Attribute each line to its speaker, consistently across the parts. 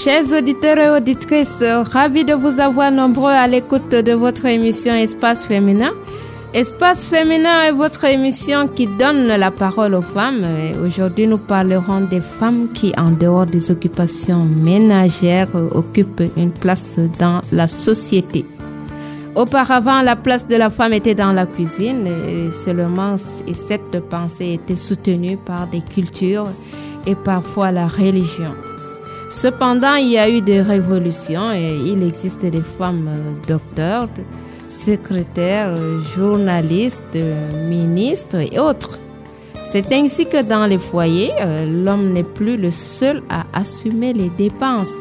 Speaker 1: Chers auditeurs et auditrices, ravis de vous avoir nombreux à l'écoute de votre émission Espace Féminin. Espace Féminin est votre émission qui donne la parole aux femmes. Et aujourd'hui, nous parlerons des femmes qui, en dehors des occupations ménagères, occupent une place dans la société. Auparavant, la place de la femme était dans la cuisine et seulement, et cette pensée était soutenue par des cultures et parfois la religion. Cependant, il y a eu des révolutions et il existe des femmes docteurs, secrétaires, journalistes, ministres et autres. C'est ainsi que dans les foyers, l'homme n'est plus le seul à assumer les dépenses.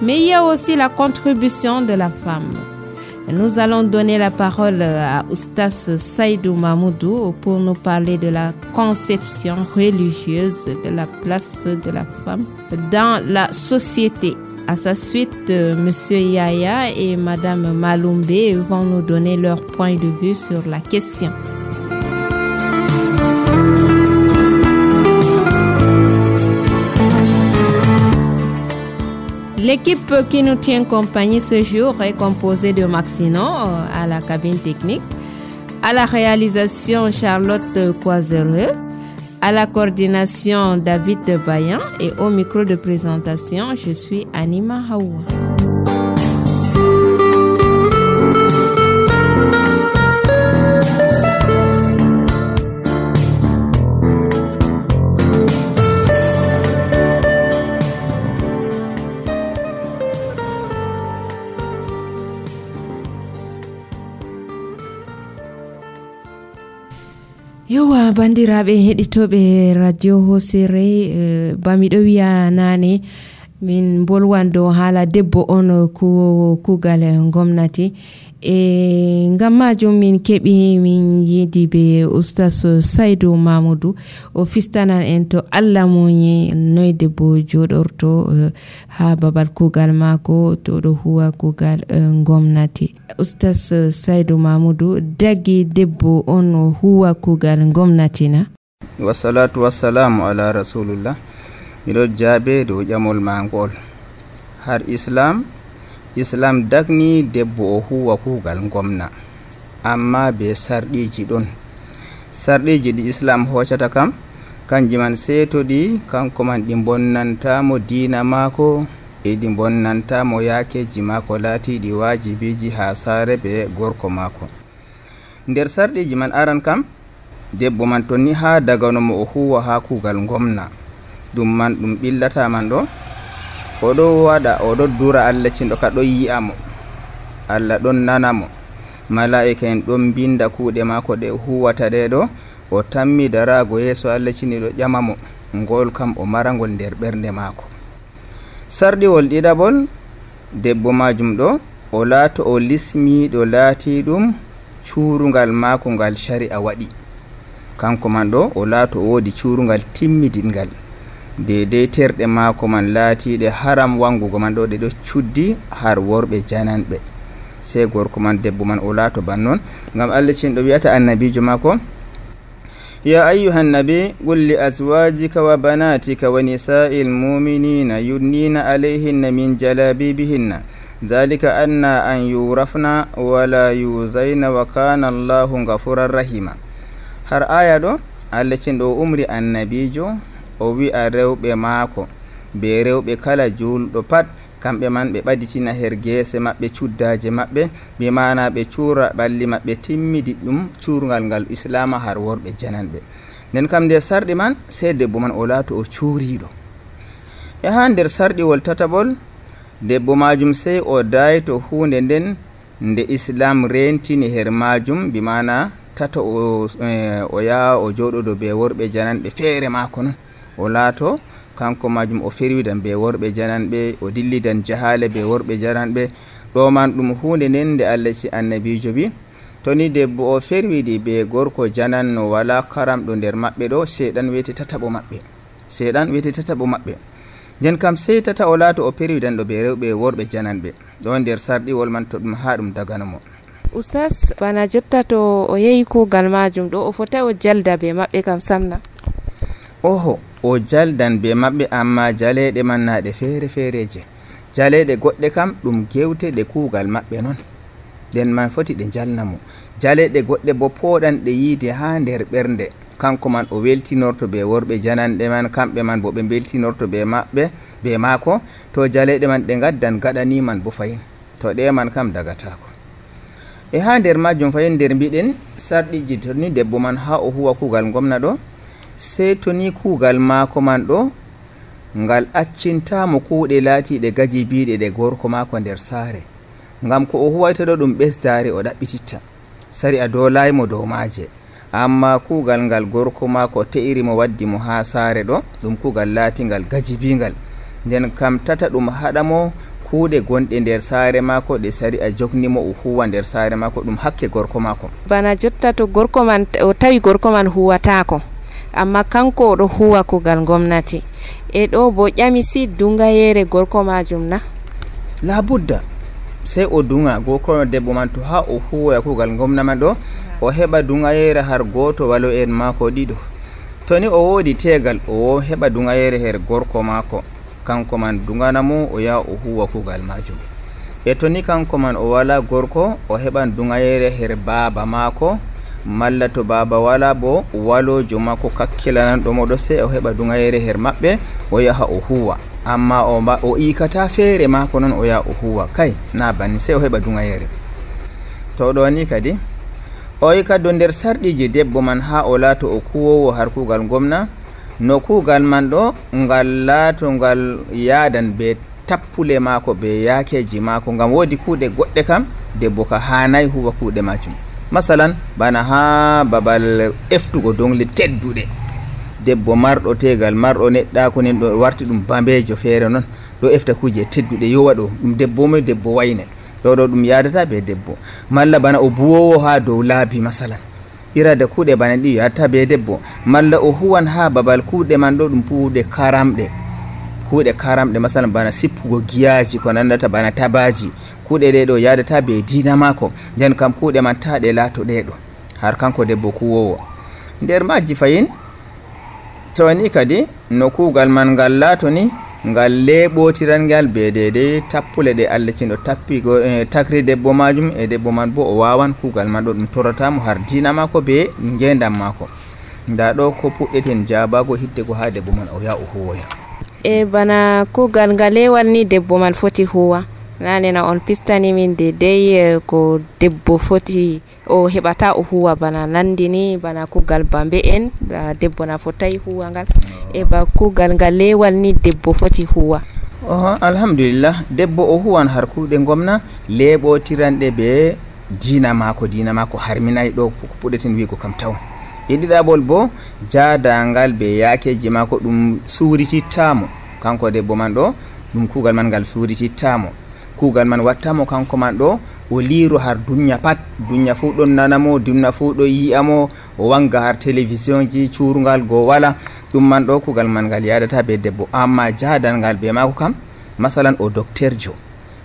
Speaker 1: Mais il y a aussi la contribution de la femme. Nous allons donner la parole à Oustaz Saïdou Mahmoudou pour nous parler de la conception religieuse de la place de la femme dans la société. À sa suite, Monsieur Yaya et Madame Maloumbe vont nous donner leur point de vue sur la question. L'équipe qui nous tient compagnie ce jour est composée de Maxino à la cabine technique, à la réalisation Charlotte Coisereux, à la coordination David Bayan et au micro de présentation, je suis Anima Hawa. Yowa bandiraɓe heɗitoɓe radio hosere bamiɗo wiya nane min bolwan dow haala debbo on kugal gomnati e ngam majum min keɓi min yidi be Oustaz Saïdou Mahmoudou o fistanan en to Allah moƴi noy debbo joɗorto ha babal kugal mako to ɗo huwa kugal gomnati. Oustaz Saïdou Mahmoudou, dagi debbo on huwa kugal gomnati na?
Speaker 2: Wassalatu wassalamu ala rasulullah. Miɗo jaabe dow ƴamol mangol. Har Islam dagni debbo o huwa kugal gomna, amma be sarɗiji ɗon. Sarɗiji ɗi Islam hoccata kam kanji man seetoɗi kanko man ɗi bonnantamo diina maako e ɗi bonnantamo yaakeji maako laatiɗi wajibiji ha saare be gorko maako. Nder sarɗiji man aran kam debbo man to ni ha daganomo o huwa ha kugal gomna ɗum man ɗum ɓillata man ɗo oɗo waɗa oɗo dura Allah cinɗo ka ɗon yi'amo, Allah ɗon nanamo, malaika en ɗon binda kuuɗe maako ɗe huwata ɗe ɗo, o tammi darago yeeso Allah cini ɗo ƴamamo, ngol kam o marangol nder ɓernde maako. Sarɗiwol ɗiɗaɓol debbo majum ɗo o laato o lismiɗo laati ɗum cuurungal maako ngal shari'a waɗi, kanko man ɗo o laato o woodi cuurungal timmidingal dedei terɗe maako man laatiɗe haram wangugo man ɗo ɗe ɗo cuddi har worɓe jananɓe, sey gorko man debbo man o laato bannon. Ngam Allah cinɗo wiyata annabijo maako ya ayyuhan nabi qul li azwajika wa banatika wa nisa'il mu'minina yudnina alayhinna min jalabibihinna dhalika anna an yurafna wa la yuzayna wa kana Allahu ghafurar rahima. Har aya ɗo Allah cinɗo o umri annabijo o wi'a rewɓe maako be rewɓe kala julɗo pat kamɓe man ɓe ɓaditina her geese maɓɓe cuddaje maɓɓe, be mana ɓe cuura ɓalli maɓɓe timmidi ɗum cuurgal ngal islama har worɓe jananɓe. Nden kam nder sarɗi man sey debbo man o laato o cuuriɗo. E ha nder sarɗiwol tataɓol debbo majum sey o dayto hunde nden nde Islam rentini her majum, bi mana tata o yaha o joɗoɗo be worɓe jananɓe feere maako non, o laato kanko majum o ferwidan be worɓe jananɓe, o dillidan jahale be worɓe jananɓe. ɗo man ɗum hunde nden nde Allah ci annabijo bi to ni debbo o ferwidi be gorko jananno wala karamɗo nder maɓɓe ɗo, seeɗan wiyete tataɓo maɓɓe. nden kam sey tata o laato o ferwidanɗo be rewɓe worɓe jananɓe ɗo nder sarɗiwol man to ɗum ha ɗum daganomo.
Speaker 1: Oustaz, bana jotta to o yehi kugal majum ɗo o fota o jalda be maɓɓe kam samna?
Speaker 2: Oho, o jaldan be maɓɓe, amma jaleɗe man naɗe feere feereje. jaleɗe goɗɗe kam ɗum gewte ɗe kuugal maɓɓe non, nden man foti ɗe jalnamo. jaleɗe goɗɗe bo pooɗanɗe yiide ha nder ɓernde, kanko man o weltinorto be worɓe jananɗe man, kamɓe man bo ɓe beltinorto be maɓɓe be maako. to jaleɗe man ɗe gaddan gaɗani man bo fayin, to ɗe man kam dagatako. e ha nder majum fayin nder mbiɗen sarɗiji to ni debbo man ha o huwa kuugal gomna ɗo, sey to ni kuugal maako man ɗo ngal accintamo kuuɗe laatiɗe gajibiɗe ɗe gorko maako nder saare, ngam ko o huwayta ɗo ɗum ɓesdare o ɗaɓɓititta, sari a dolaymo dow maaje. amma kuugal ngal gorko maako te'iri mo waddi mo ha saare ɗo ɗum kuugal laatingal gajibingal, nden kam tata ɗum haɗamo kuuɗe gonɗe nder saare maako ɗe sari a jognimo o huwa nder saare maako, ɗum hakke gorko maako.
Speaker 1: bana jotta to gorko man o tawi gorko man huwatako amma kanko oɗo huwa kuugal gomnati, e ɗo bo ƴamisi dungayere gorko majum na?
Speaker 2: labudda sey o dunga gorko debbo man to ha o huwa kuugal gomna man ɗo, o heɓa dungayere har goto walo en maako ɗiɗo. to ni o woodi tegal o heɓa dungayere her gorko maako, kanko man dunganamo o yaha o huwa kuugal majum. e to ni kanko man o wala gorko, o heɓan dungayere her baaba maako, malla to baaba wala bo walojo maako kakkilananɗo moɗo, sey o heɓa dungayere her maɓɓe o yaha o huwa. amma o ikata feere maako non o yaha o huwa, kay na banni, sey o heɓa dungayere. to ɗo ni kadi o yi kadi nder sarɗiji debbo man ha o laato o kuwowo har kuugal gomna, no kuugal man ɗo ngal laato ngal yaadan be tappule maako be yaakeji maako, ngam woodi kuuɗe goɗɗe kam debbo ka hanayi huwa kuuɗe majum. masalan bana ha babal eftugo dongle tedduɗe, debbo marɗo tegal marɗo neɗɗako nen ɗo warti ɗum bambejo feere non ɗo efta kuje tedduɗe yowa ɗo, ɗum debbo mo debbo wayne ɗo ɗum yadata be debbo. malla bana o buwowo ha dow laabi, masalan irade kuuɗe bana ɗi yatta be debbo. malla o huwan ha babal kuuɗe man ɗo ɗum kuuɗe karamɗe masalan bana sippugo giyaji ko nandata bana tabaji, kuuɗe ɗe ɗo yadata be dina maako, nden kam kuuɗe man ta ɗe laato ɗe ɗo har kanko debbo kuwowo. nder majji fayin to ni kadi no kuugal man ngal laato ni ngal leɓotiran ngal be dede tappule ɗe Allah cindo tappigo takri debbo majum, e debbo man bo o wawan kuugal man ɗo ɗum torratamo har dina maako be ngendam maako. nda ɗo ko puɗɗeten jabago hiddego ha debbo man o yaha o huwoya.
Speaker 1: e bana kuugal ngalewal ni debbo man foti huwa, nanena on pistani min dedei ko debbo foti o heɓata o huwa, bana nandini bana kuugal bambe en debbo na fotai huwa ngal, e ba kuugal ngalewal ni debbo foti huwa.
Speaker 2: alhamdulillah debbo o huwan har kuuɗe gomna leɓotiranɗe be dina maako harminayi ɗo ko puɗɗeten wigo kam taw. e ɗiɗaɓol bo jadangal be yaakeji maako ɗum suritittamo, kanko debbo man ɗo ɗum kuugal man ngal suritittamo, kuugal man wattamo kanko man ɗo o liiro har dunya pat, dunya fuu ɗon nanamo, dunya fuu ɗo yi'amo, o wanga har télévision ji cuurgal go wala, ɗum man ɗo kuugal man ngal yadata be debbo. amma jadangal be maako kam, masalan o docteur jo,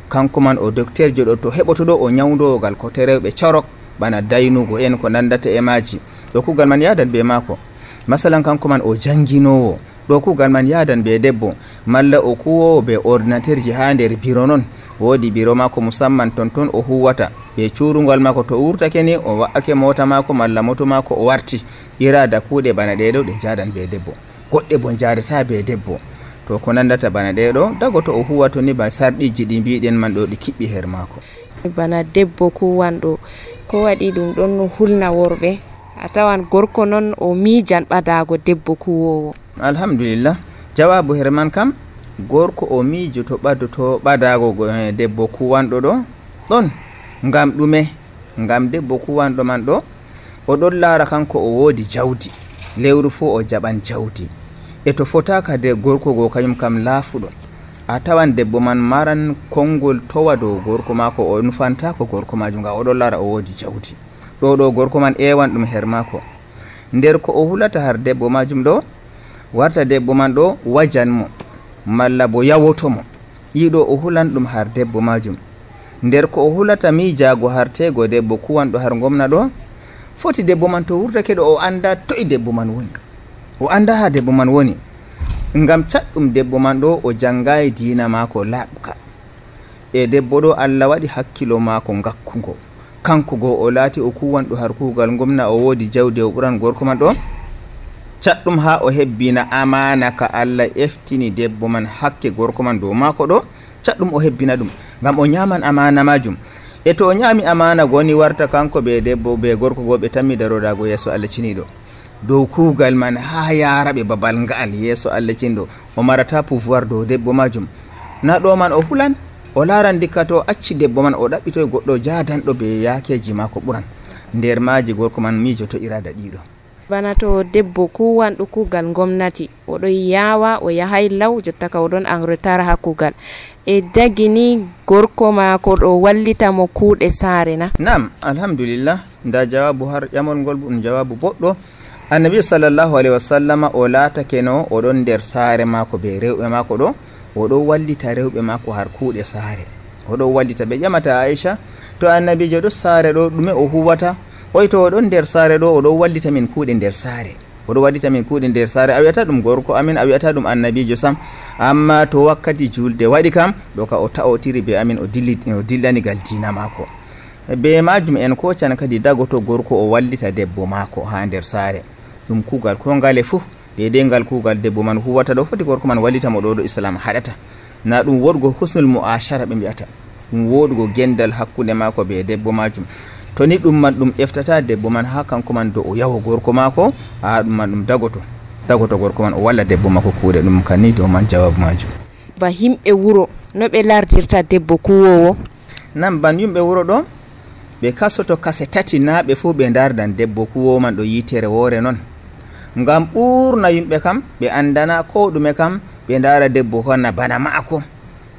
Speaker 2: kanko man o docteur jo ɗo to heɓoto ɗo o nyawdogal ko terewɓe corok bana daynugo en ko nandata e maji, ɗo kuugal man yadan be maako. masalan kanko man o janginowo, ɗo kuugal man yadan be debbo. malla o kuwowo be ordinateur ji ha nder biro non, woodi biro maako musamman ton o huwata be cuurungal maako, to wurtake ni o wa'ake mota maako malla moto maako o warti. irada kuuɗe bana ɗeɗo ɗe jadan be debbo, goɗɗe bo jadata be debbo. to ko nandata bana ɗeɗo dago to o huwato ni ba sarɗiji ɗi mbiɗen man ɗo ɗi kiɓɓi her maako.
Speaker 1: bana debbo kuwanɗo ko waɗi ɗum ɗon hulna worɓe, a tawan gorko non o miijan ɓadago debbo kuwowo.
Speaker 2: alhamdulillah jawabu her man kam, gorko o miijoto ɓadoto ɓadago debbo kuwanɗo ɗo ɗon, ngam ɗume? ngam debbo kuwanɗo man ɗo o ɗon laara kanko o woodi jawdi, lewru fuu o jaɓan jawdi, e to fotaka de gorko go kañum kam laafuɗo. a tawan debbo man maran konngol towa dow gorko maako, o nufanta ko gorko majum nga o ɗon laara o woodi jawdi. ɗo gorko man ewan ɗum her maako. nder ko o hulata har debbo majum ɗo, warta debbo man ɗo wajanmo malla bo yawotomo, yiɗo o hulan ɗum har debbo majum. nder ko o hulata miijago har tego debbo kuwanɗo har gomna ɗo, foti debbo man to wurtake ɗo o anda toye debbo man woni, o anda ha debbo man woni, ngam catɗum debbo man ɗo o jangayi dina maako laɓka, e debbo ɗo Allah waɗi hakkilo maako ngakkugo, kanko go o laati o kuwanɗo har kuugal gomna, o woodi jawdi o ɓuran gorko man ɗo caɗɗum ha o hebbina amana ka Allah eftini debbo man hakke gorko man dow maako ɗo, caɗɗum o hebbina ɗum ngam o nyaman amana majum. E to o nyami amana goni warta kanko be debbo be gorko go ɓe tammi daroɗago yeeso Allah ciniɗo dow kuugal man ha yaraɓe babal ngal yeeso Allah cinɗo, o marata pouvoir dow debbo majum. Na ɗo man o hulan, o laran dikka to acci debbo man o ɗaɓɓitoy goɗɗo jadanɗo be yakeji mako ɓuran, nder maji gorko man mijoto irada ɗiɗo.
Speaker 1: Bana to debbo kuwanɗo kuugal gomnati oɗo yawa o yahay law jotta ka oɗon en retard ha kuugal, e dagini gorko mako ɗo wallita mo kuuɗe saare na? Nam, alhamdulillah, nda jawabu har ƴamol ngol ɗum jawabu boɗɗo. Annabi sallallahu alaihi wasallama o laatake no oɗon nder saare mako be rewɓe mako ɗo, oɗo wallita rewɓe mako har kuuɗe saare, oɗo wallita. Ɓe ƴamata Aisha, to annabijo ɗo saare ɗo ɗume o huwata? Oy to oɗon nder saare ɗo oɗo wallita min kuuɗe nder saare, oɗo wallita min kuuɗe nder saare. A wiyata ɗum gorko amin, a wiyata ɗum annabijo sam, amma to wakkati julde waɗi kam ɗo ka o ta'otiri be amin o dillanigal dina mako. Be majum en kocan kadi dagoto gorko o wallita debbo mako ha nder saare, ɗum kuugal ko ngale fuu deidai ngal kuugal debbo man huwata ɗo foti gorko man wallita mo ɗo islam haɗata. Na ɗum woɗugo husnul mu'ashara ɓe mbiyata, ɗum woɗugo gendal hakkunde mako be debbo majum. To ni ɗum man ɗum eftata debbo man ha kanko man do o yawo gorko mako, ha ɗum man ɗum dagoto gorko man o walla debbo mako kuuɗe. Ɗum kan ni dow man jawabu majum. Ba himɓe wuro no ɓe lardirta debbo kuwowo?
Speaker 2: Nan ban yimɓe wuro ɗo ɓe kasoto kase tati na ɓe fuu ɓe dardan debbo kuwowo man ɗo yitere woore non, ngam ɓurna yimɓe kam ɓe andana ko ɗume kam ɓe dara debbo konna bana maako.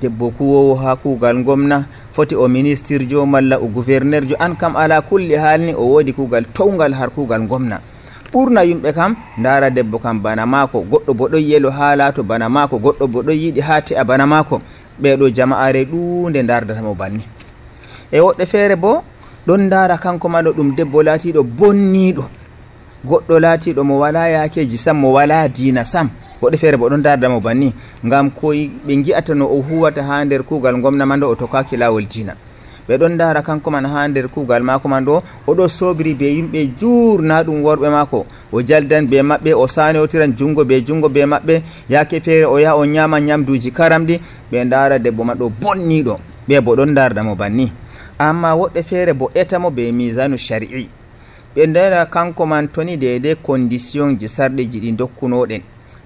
Speaker 2: Debbo kuwowo ha kuugal gomna foti o ministre jo malla o gouverneur jo, an kam ala kulli halni o woodi kuugal towgal har kuugal gomna. Ɓurna yimɓe kam dara debbo kam bana maako, goɗɗo bo ɗon yelo ha laato bana maako, goɗɗo bo ɗon yiɗi ha te'a bana maako. Ɓeɗo jama'are ɗuunde dardatamo banni. E woɗɗe feere bo ɗon dara kanko ma ɗo ɗum debbo laatiɗo bonniɗo, goɗɗo laatiɗo mo wala yakeji sam, mo wala diina sam. Woɗɗe feere bo ɗon dardamo banni ngam ko ɓe gi'ata no o huwata ha nder kuugal gomna man ɗo o tokkaki lawol diina. Ɓe ɗon dara kanko man ha nder kuugal mako man ɗo oɗo sobiri be yimɓe jurna ɗum worɓe mako, o jaldan be maɓɓe, o sanotiran jungo be maɓɓe, yake feere o yaha o nyama nyamduji karamɗi. Ɓe dara debbo man ɗo bonniɗo, ɓe bo ɗon dardamo banni. Amma woɗɗe feere bo etamo be misanu shari'i, ɓe ndera kanko man toni deidai condition ji sarɗiji ɗi dokkunoɗen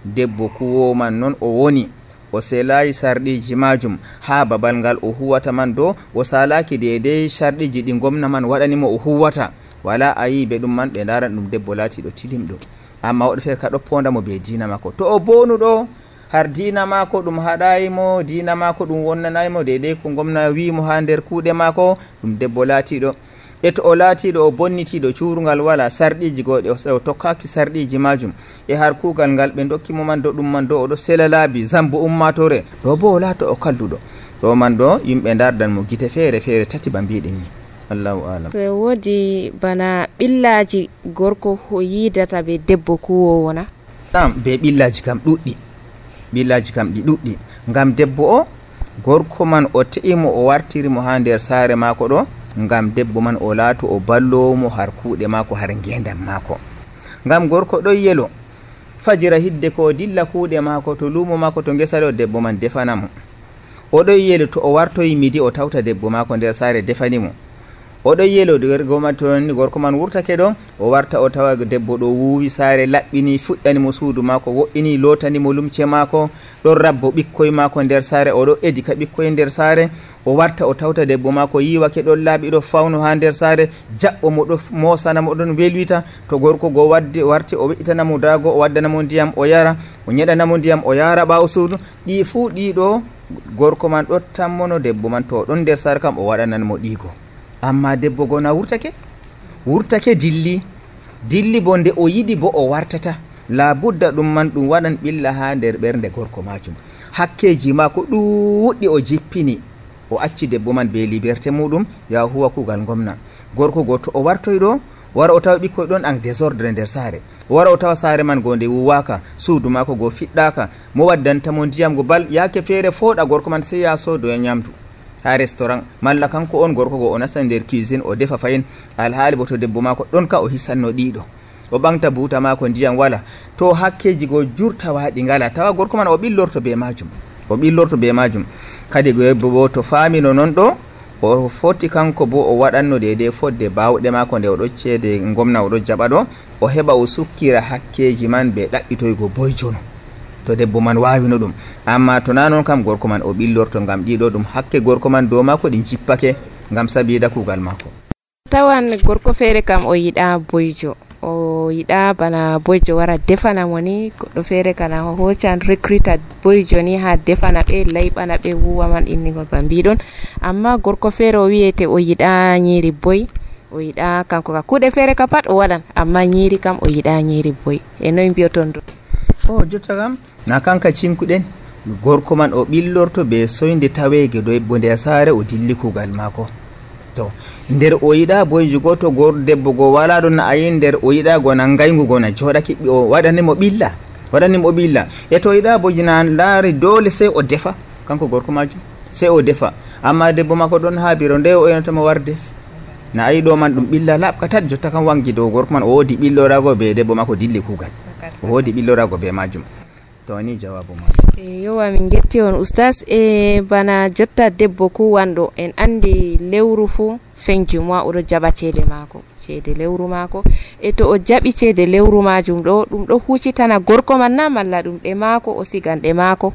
Speaker 2: debbo kuwowo man non o woni, o selayi sarɗiji majum ha babal ngal o huwata man do, o salaki deidai sarɗiji ɗi gomna man waɗanimo o huwata, wala a yi ɓe ɗum man ɓe daran ɗum debbo laatiɗo tilimɗo. Amma woɗɗe feere ka ɗoppondamo be diina mako. To o bonuɗo har diina mako ɗum haɗayimo, diina mako ɗum wonnanayimo deidai ko gomna wimo ha nder kuuɗe mako, ɗum debbo laatiɗo. E to o laatiɗo o bonnitiɗo cuurungal wala sarɗiji goɗe, o tokkaki sarɗiji majum e har kuugal ngal ɓe dokkimo man do ɗum man do oɗo sela laabi zambo ummatore ɗo bo o laato o kalluɗo. Ɗo man ɗo yimɓe dardan mo gite feere feere tati ba mbiɗen ni. Allahu alam. So
Speaker 1: woodi bana ɓillaji gorko o yidata be debbo kuwowo na?
Speaker 2: Ɗam be ɓillaji kam ɗuɗɗi, ɓillaji kam ɗi ɗuɗɗi, ngam debbo o gorko man o te'imo o wartirimo ha nder saare mako ɗo, ngam debbo man o laato o ballowomo har kuuɗe mako har ngendam mako. Ngam gorko ɗon yelo fajira hidde ko dilla kuuɗe mako to lumo mako to ngesa ɗo debbo man defanamo, o ɗon yelo to o wartoyi midi o tawta debbo mako nder saare defanimo, o ɗon yelo gorko man wurtake ɗo o warta o tawa debbo ɗo wuwi saare laɓɓini fuɗɗanimo suudu mako, wo'ini lotanimo lumce mako, ɗon rabbo ɓikkoye mako nder saare, o ɗo edika ɓikkoye nder saare, o warta o tawta debbo mako yiwake ɗon laaɓi ɗo fawno ha nder saare, jaɓɓo mo ɗo mosanamo ɗon welwita. To gorko go warti o we'itanamo dago, o waddanamo ndiyam o yara, o ñeɗanamo ndiyam o yara ɓawo suudu. Ɗi fuu ɗiɗo gorko man ɗo tammono debbo man to ɗon nder saare kam o waɗananmo ɗigo. Amma debbo go na wurtake dilli bo nde o yiɗi bo o wartata, labudda ɗum man ɗum waɗan ɓilla ha nder ɓernde gorko majum. Hakkeji mako ɗuɗɗi o jippini, o acci debbo man be liberté muɗum ya huwa kuugal gomna. Gorko go to o wartoy ɗo wara o tawa ɓikkoy ɗon en désordre nder saare, wara o tawa saare man go nde wuwaka, suudu mako go fiɗɗaka, mo waddantamo ndiyam go bal yake feere fooɗa gorko man sey ya sodoya nyamdu, ha restaurant malla kanko on gorko go o nasta nder cuisine o defa fayin alhaali bo to debbo mako ɗon ka o hisanno ɗiɗo o ɓamta buuta mako ndiyam wala to hakkeji go jurta waɗi ngala tawa gorko man o ɓillorto be majum kadi debbo bo to famino non ɗo o foti kanko bo o waɗanno dede fodde bawɗe mako nde oɗo ceede gomna oɗo jaɓa ɗo o heɓa o sukkira hakkeji man be ɗaɓɓitoygo boyjono to debbo man wawino ɗum. Amma to na non kam gorko man o ɓillorto ngam ɗiɗo ɗum hakke gorko man dow mako ɗi jippake ngam sabida kugal mako.
Speaker 1: Tawan gorko feere kam o yiɗa boyjo, o yiɗa bana boyjo wara defana mo ni, goɗɗo feere kana o hoccan recruta boyjo ni ha defana ɓe layɓana ɓe wuwa man innigol ba mbiɗon. Amma gorko feere o wiyete o yiɗa nyiri boy, o yiɗa kanko ka kuɗe feere ka pat o waɗan, amma nyiri kam o yiɗa nyiri boy. E noy mbiyoton ɗo?
Speaker 2: O jotta kam na kanka cinkuɗen gorko man o ɓillorto be soyde tawege debbo nder saare o dilli kugal mako. To nder o yiɗa boyjo goto debbo go wala ɗon a yi nder o yiɗa gona ngaygu gona joɗaki o waɗanimo ɓilla e to yiɗa boyjo na laari dole sey o defa kanko gorko majum sey o defa. Amma debbo mako ɗon ha biro nde o enotamo war def na ayi ɗo man ɗum ɓilla laɓka tat jotta kam wangi dow gorko man o wodi ɓillorago be debbo mako dilli kugal, o wodi ɓillorago be majum. To ni jawabu ma
Speaker 1: yowa min getti on oustas. E bana jotta debbo kuwanɗo en andi lewru fu fenju moi oɗo jaɓa ceede lewru mako e to o jaɓi ceede lewru majum ɗo ɗum ɗo hucitana gorko man na malla ɗum ɗe mako o sigan ɗe mako?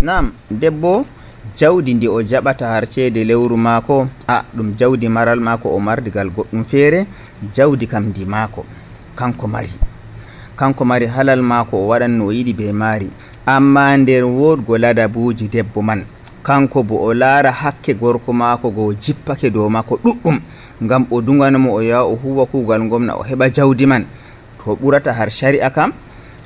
Speaker 2: Nam, debbo jawdi ndi o jaɓata har ceede lewru mako ɗum jawdi maral mako o mardigal goɗɗum feere, jawdi kam ndi mako kanko mari halal mako o waɗan no o yiɗi be maari. Amma nder wodgo ladabuji debbo man kanko bo o laara hakke gorko mako go jippake dow mako ɗuɗɗum ngam o dunganomo o yaha o huwa kugal gomna o heɓa jawdi man. To ɓurata har shari'a kam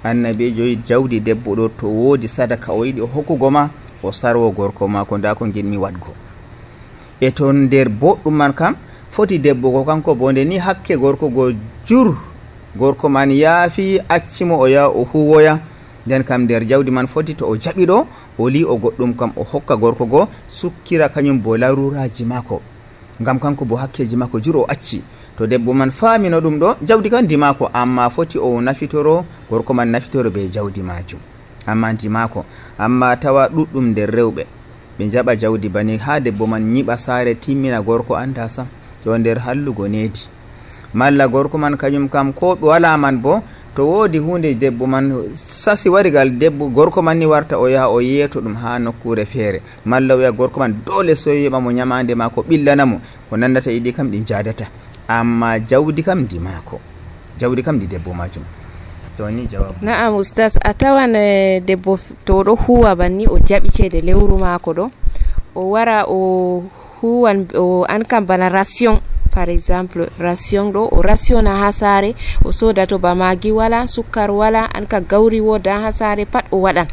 Speaker 2: annabijo jawdi debbo ɗo to wodi sadaka o yiɗi o hokkugo ma o sarwo gorko mako nda ko ginmi wadgo. E to nder boɗɗum man kam foti debbo ko kanko bo nde ni hakke gorko go gorko man yaafi accimo o yaha o huwoya nden kam nder jawdi man foti to o jaɓi ɗo o li o goɗɗum kam o hokka gorko go sukkira kañum bo laruraji mako ngam kanko bo hakkeji mako o acci. To debbo man famino ɗum ɗo jawdi kan di mako, amma foti o nafitoro gorko man nafitoro be jawdi majum amma di mako. Amma tawa ɗuɗɗum nder rewɓe ɓe jaɓa jawdi bani ha debbo man nyiɓa saare timmina gorko anda sam to nder hallugo needi, malla gorko man kañum kam ko wala man bo to wodi hunde debbo man sasi warigal debbo gorko man ni warta o yaha o yeeto ɗum ha nokkure feere, malla wiya gorko man dole so yiɓa mo nyamande mako ɓillanamo ko nandata yiɗi kam ɗi jadata. Amma jawdi kam di mako, jawdi kam di debbo majum. To ni jawabu. Na'am
Speaker 1: oustas, a tawan debbo to ɗo huwa banni o jaɓi ceede lewru mako ɗo o wara o huwan o an kam bana ration par exemple, ration ɗo o rationa ha saare o soda to ba magi wala sukkar wala an ka gawri woda ha saare pat o waɗan.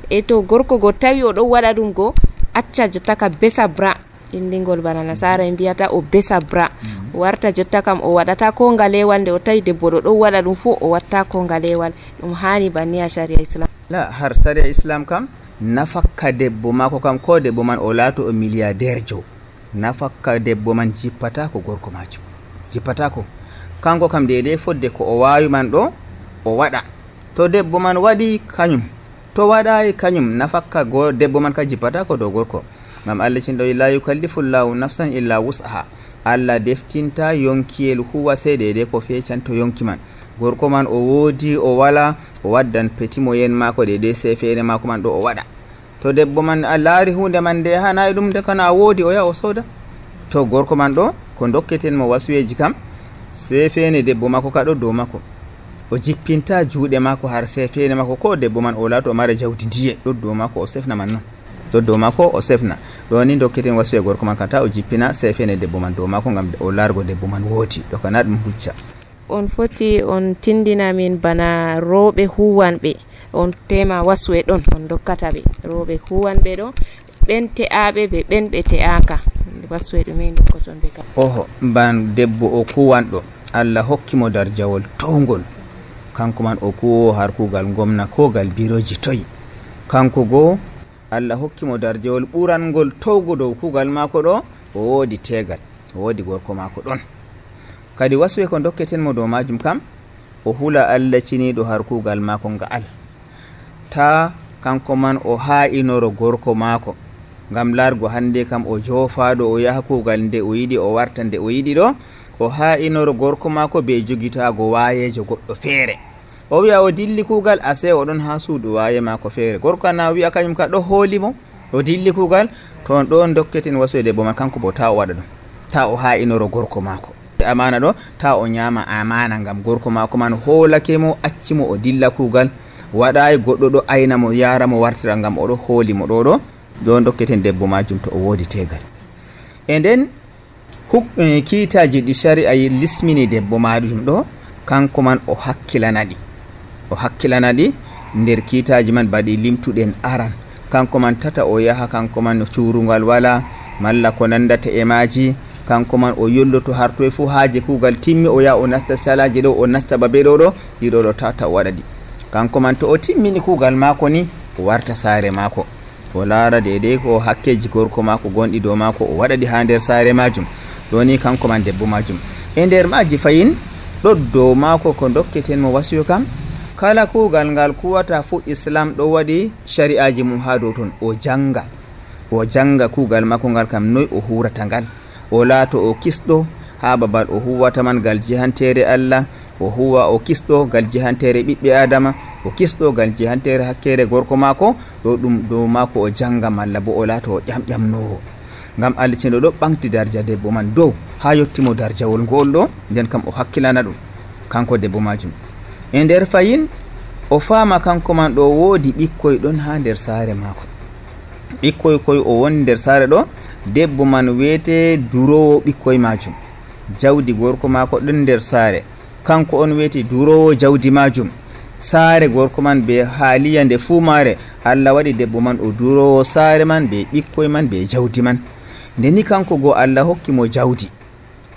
Speaker 1: E to gorko go tawi o ɗo waɗa ɗum go acca jotta ka besa bra indingol bana nasara en mbiyata o besa bra o warta jotta kam o waɗata ko ngalewal nde o tawi debbo ɗo ɗon waɗa ɗum fu o watta ko ngalewal. Ɗum hani banni ha sharia islam?
Speaker 2: La, har sharia islam kam nafakka debbo mako kam ko debbo man o laato o milliardaire jo nafakka debbo man jippatako gorko majum jippatako kanko kam dede fodde ko o wawi man ɗo o waɗa. To debbo man waɗi kañum to waɗayi kañum nafakka debbo man ka jippatako dow gorko. Ngam Allah cinɗo la yukallifullahu nafsan illa wus'aha, Allah deftinta yonkiyel huwa sai dede ko fecanto yonki man. Gorko man o wodi o wala o waddan petimo yen mako dede sai feere mako man ɗo o waɗa. To debbo man a laari hunde man nde hanayi ɗum de kana wodi o yaha o soda. To gorko man ɗo ko dokketen mo wasuyeji kam sai feene debbo mako ka ɗo dow mako o jippinta juuɗe mako har sai feene mako ko debbo man o laato o mara jawdi ndiye ɗo dow mako o sefna man non ɗo dow mako o sefna ɗo ni dokketen wasuye gorko man kam ta o jippina sai feene debbo man dow mako ngam o laargo debbo man woodi ɗo kana ɗum hujja.
Speaker 1: On foti on tindina min bana rooɓe huwanɓe on tema wasuwe ɗon on dokkata ɓe rooɓe huwanɓe ɗo ɓen te'aɓe ɓe ɓen ɓe te'aka wasuwe ɗume dokkoton ɓe kam?
Speaker 2: Oho, ban debbo o kuwanɗo Allah hokkimo darjawol towngol kanko man o kuwo har kugal gomna ko gal biroji toyi kanko go Allah hokkimo darjewol ɓurangol towgo dow kugal maako ɗo, o woodi tegal, o woodi gorko maako ɗon. Kadi waswe ko dokketenmo dow majum kam, o hula Allah ciniɗo har kugal maako nga'al, ta kanko man o ha'inoro gorko maako, ngam largo hande kam o jofaɗo o yaha kugal nde o yiɗi o warta nde o yiɗi ɗo, o ha'inoro gorko maako be jogitago wayejo goɗɗo feere. O wi'a o dilli kugal, ase o ɗon ha suudu waye maako feere. Gorko na wi'a kañum ka ɗo hoolimo o dilli kugal, ton ɗon dokketen wasoyde bo man kanko bo ta o waɗa ɗum, ta o ha'inoro gorko maako. Amana ɗo ta o nyama amana, ngam gorko maako man hoolake mo, accimo o dilla kugal, waɗayi goɗɗo ɗo ayna mo yara mo wartira, ngam oɗo hooli mo ɗo ɗo dokketen debbo majum to o woodi tegal. E nden kiitaji ɗi shari'a lismini debbo majum ɗo, kanko man o hakkilanaɗi nder kiitaji man baɗi limtuɗen aran. Kanko man tata o yaha kanko man cuurungal wala, malla ko nandata e maji, kanko man o yolloto har toye fu haaje kugal timmi o yaha o nasta salaji ɗo, o nasta babe ɗo ɗiɗo tata o waɗaɗi. Kanko man to o timmini kugal maako ni, o warta saare maako, o laara deidei ko hakkeji gorko maako gonɗi dow maako, o waɗaɗi ha nder saare majum. Ɗo ni kanko man debbo majum. E nder maji fayin ɗo dow maako ko dokketen mo wasiyo kam, kala kugal ngal kuwata fu Islam ɗo waɗi shari'aji mum ha dow ton. O janga kugal maako ngal kam noy o hurata ngal, o laato o kisɗo ha babal o huwata man gal jihantere Allah, o huwa o kisɗo gal jihantere ɓiɓɓe adama, o kisɗo gal jihantere hakkere gorko maako. ɗo ɗum dow maako o janga, malla bo o laato o ƴamƴamnowo, ngam Allah cino ɗo ɓamti darja debbo man dow ha yettimo darjawol ngol ɗo. Nden kam o hakkilana ɗum kanko debbo majum. E nder fayin o faama kanko man ɗo woodi ɓikkoy ɗon ha nder saare maako. Ɓikkoy koy o woni nder saare ɗo, debbo man wiyete durowo ɓikkoy majum. Jawdi gorko maako ɗon nder saare, kanko on wiyete durowo jawdi majum. Saare gorko man be haaliya nde fuu maare, Allah waɗi debbo man o durowo saare man be ɓikkoy man be jawdi man. Ndeni kanko go Allah hokki mo jawdi,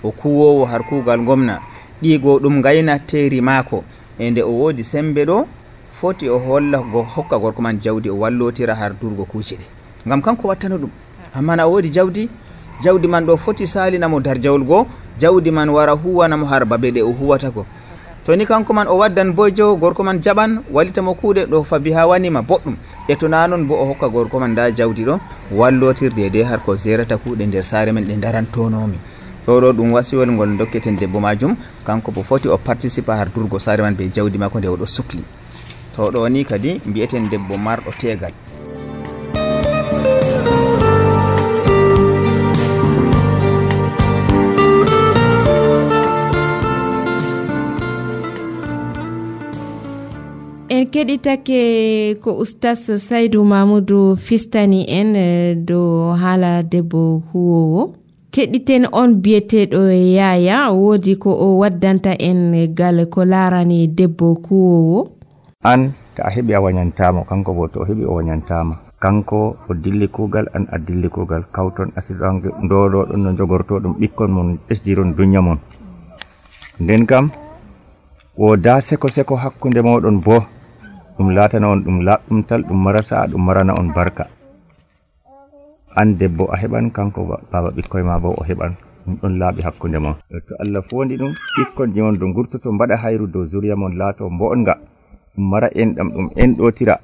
Speaker 2: o kuwowo har kugal gomna, ɗigo ɗum gayna teeri maako. E nde o woodi sembe ɗo, foti o hokka gorko man jawdi, o wallotira har durgo kuuce ɗe, ngam kanko wattano ɗum. Amma na o woodi jawdi man ɗo foti salinamo darjawol goo, jawdi man wara huwanamo har babe ɗe o huwata ko. To ni kanko man o waddan bojo, gorko man jaɓan wallitamo kuuɗe ɗo fabi ha wanima boɗɗum. E to na non bo o hokka gorko man da jawdi ɗo wallotirde de har ko zerata kuuɗe nder saare men ɗe darantonomi. ɗo ɗum wasiwol ngol dokketen debbo majum, kanko bo foti o participa har durgo saare man be jawdi makko nde o ɗo sukli. To ɗo ni kadi mbi'eten debbo marɗo tegal.
Speaker 1: En keɗitake ko Oustas Saydou Mamoudou fistani en do haala debbo huwowo. Keɗiten on biyeteɗo yaya, woodi ko o waddanta en gal ko larani debbo kuwowo.
Speaker 3: An ta a heɓi a wañantamo, kanko bo to o heɓi o wañantama, kanko o dilli kugal, an a dilli kugal, kawton asiɗon ndoɗo ɗon no jogortoɗum ɓikkon mon ɓesdiron dunya mon. Nden kam woda seko hakkunde moɗon bo ɗum latana on ɗum laɓɗumtal, ɗum marata ɗum marana on barka. An debbo a heɓan, kanko baba ɓikkoy ma bo o heɓan, ɗum ɗon laaɓi hakkunde mon. To Allah fondi ɗum, ɓikkonji mon ɗo gurtoto mbaɗa hayru dow zuriya mon, laato mbo'onga, ɗum mara enɗam, ɗum enɗotira.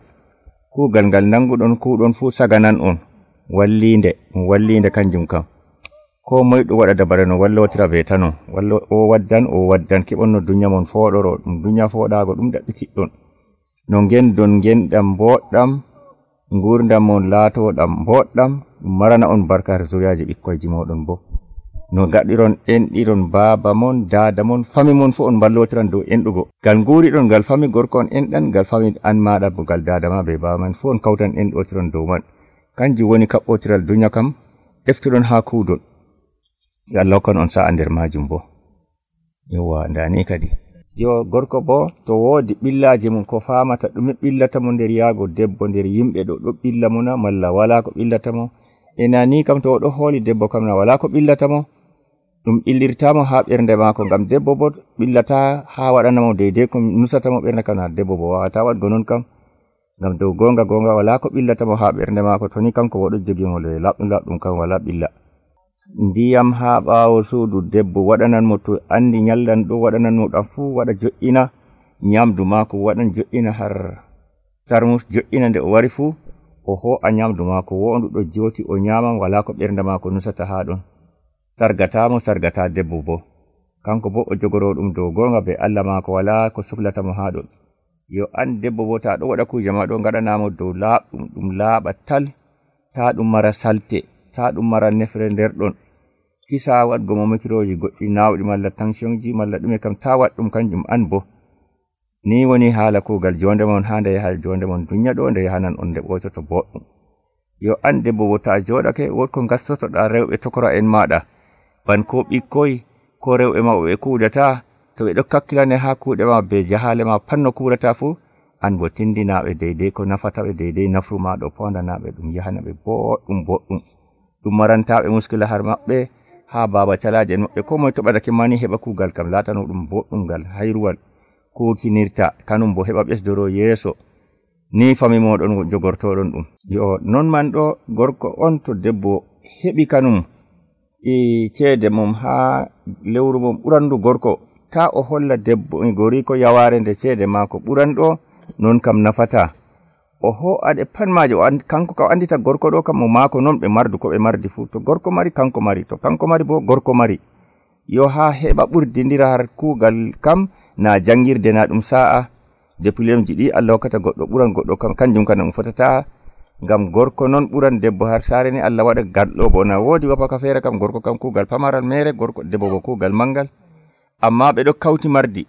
Speaker 3: Kugal ngal nanguɗon kuɗon fu saganan on, wallinde kanjum kam. Ko moy ɗo waɗa dabare no wallotira weta non, o waddan keɓon no dunya mon foɗoro, ɗum dunya foɗago ɗum ɗaɓɓitiɗɗon. No ngendon ngenɗam boɗɗam, ngurdam mon laatoɗam boɗɗam, ɗum marana on barka har zuriyaji ɓikkoyji moɗon bo. No gaɗiron enɗiron baba mon, dada mon, fami mon fu on ballotiran dow enɗugo. Gal nguriɗon gal fami gorko on enɗan, gal fami an maɗa bo gal dada ma be baba man fu on kawtan enɗotiron dow man. Kanji woni kaɓɓotiral dunya kam, eftuɗon ha kuudon. Allah hokkan on sa'a nder majum bo. Yowa ndani kadi. Yo gorko bo to woodi ɓillaji mum ko famata ɗume ɓillata mo nder yaago debbo nder yimɓe ɗo ɓilla mo na, malla wala ko ɓillata mo. Ena ni kam to o ɗo hooli debbo kam na wala ko ɓillata mo, ɗum ɓillirtamo ha ɓernde maako, ngam debbo bo ɓillata ha waɗanamo deidei ko nusata mo ɓernde kam na, debbo bo wawata waɗgo non kam. ngam dow gonga wala ko billata mo ha bernde maako to ni kanko wodo jogi mo le laddum kan wala billa. Ndiyam ha ɓaawo suudu debbo waɗanan mo to andi nyallan ɗo waɗanan mo ɗam fuu waɗa jo'ina nyamdu maako waɗan jo'ina har tarmus jo'ina nde o wari fuu o ho'a nyamdu maako wondu ɗo joti o nyaman wala ko ɓernde maako nusata ha ɗon sargata debbo bo kanko bo o jogoro ɗum dow gonga be Allah maako wala ko suflata mo ha ɗon. Yo an debbo bo ta ɗo waɗa kuje ma ɗo ngaɗanamo dow laaɓɗum ɗum laaɓa tal ta ɗum mara salte ta ɗum mara nefre nder ɗon kisa waɗgo mo mikiroji goɗɗi nawɗi malla tensionji malla ɗume kam ta waɗ ɗum kanjum an bo ni woni haala kugal jonde mon ha nde yaha jonde mon dunya ɗo nde yahanan on nde ɓototo boɗɗum. Yo an debbo bo ta joɗake wotko gassotoɗa rewɓe tokora en maɗa ban ko ɓikkoy ko rewɓe maɓɓe ɓe kuudata to ɓe ɗo kakkilane ha kuuɗe ma be jahale ma panno kuurata fuu an bo tindinaɓe deydey ko nafata ɓe deydey nafru ma ɗo pondanaɓe ɗum yahana ɓe boɗɗum ɗum marantaɓe muskila har maɓɓe ha baba calaje en maɓɓe ko moye toɓatake mani heɓa kuugal kam latano ɗum boɗɗum ngal hayruwal kuutinirta kanum bo heɓa ɓesdoro yeeso ni fami moɗon jogortoɗon ɗum. Yo non man ɗo gorko on to debbo heɓi kanum ceede mum ha lewru mum ɓurandu gorko ta o holla debbo gori ko yaware nde ceede maako ɓuranɗo non kam nafata o ho'aɗe pat maje kanko ka andita gorko ɗo kam mo maako non ɓe mardu ko ɓe mardi fuu to gorko mari kanko mari to kanko mari bo gorko mari. Yo ha heɓa ɓurdindira har kuugal kam na jangirde na ɗum sa'a diplômeji ɗi Allah hokkata goɗɗo ɓuran goɗɗo kam kanjum kana ɗum fotata ngam gorko non ɓuran debbo har saare ni Allah waɗa garɗo bo na woodi wapaka feere kam gorko kam kuugal pamaral mere gorko debbo bo kuugal mangal amma ɓe ɗo kawti mardi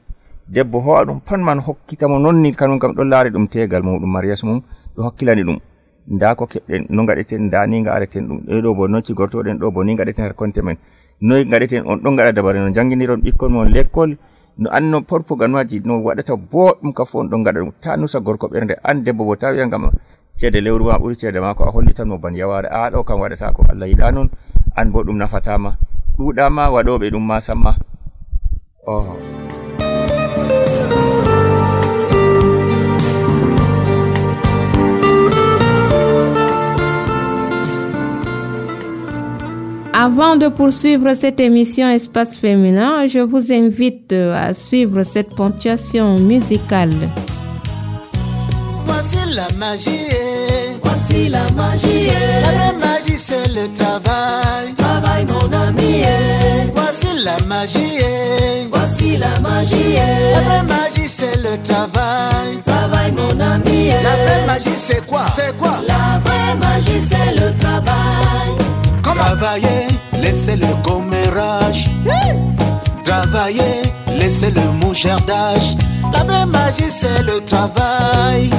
Speaker 3: debbo ho'a ɗum pat man hokkitamo nonni kanum kam ɗon laari ɗum tegal muɗum mariyas mum ɗo hakkilani ɗum nda ko keɓɗen no gaɗeten nda ni gaɗeten ɗum ɗo bo nocci gortoɗen ɗo bo ni gaɗeten har konte men noy gaɗeten on ɗon gaɗa dabare no janginiron ɓikkon mon l'école no anno porpuganmaji no waɗata boɗɗum ka fu on ɗon gaɗa ɗum ta nusa gorko ɓernde an debbo bo ta wiya ngam ceede lewru ma ɓuri ceede ma ko a hollitanmo ban yaware a ɗo kam waɗata ko Allah yiɗa non an bo ɗum nafatama ɗuɗama waɗoɓe ɗum ma samma.
Speaker 1: Avant de poursuivre cette émission Espace Féminin, je vous invite à suivre cette ponctuation musicale.
Speaker 4: Voici la magie, voici la magie. La vraie magie c'est le travail, travail mon ami. Voici la magie, voici la magie. La vraie magie c'est le travail, travail mon ami. La vraie magie c'est quoi? C'est quoi? La vraie magie c'est le travail. Travailler, laissez le commérage. Travailler, laissez le mouchardage. La vraie magie c'est le travail.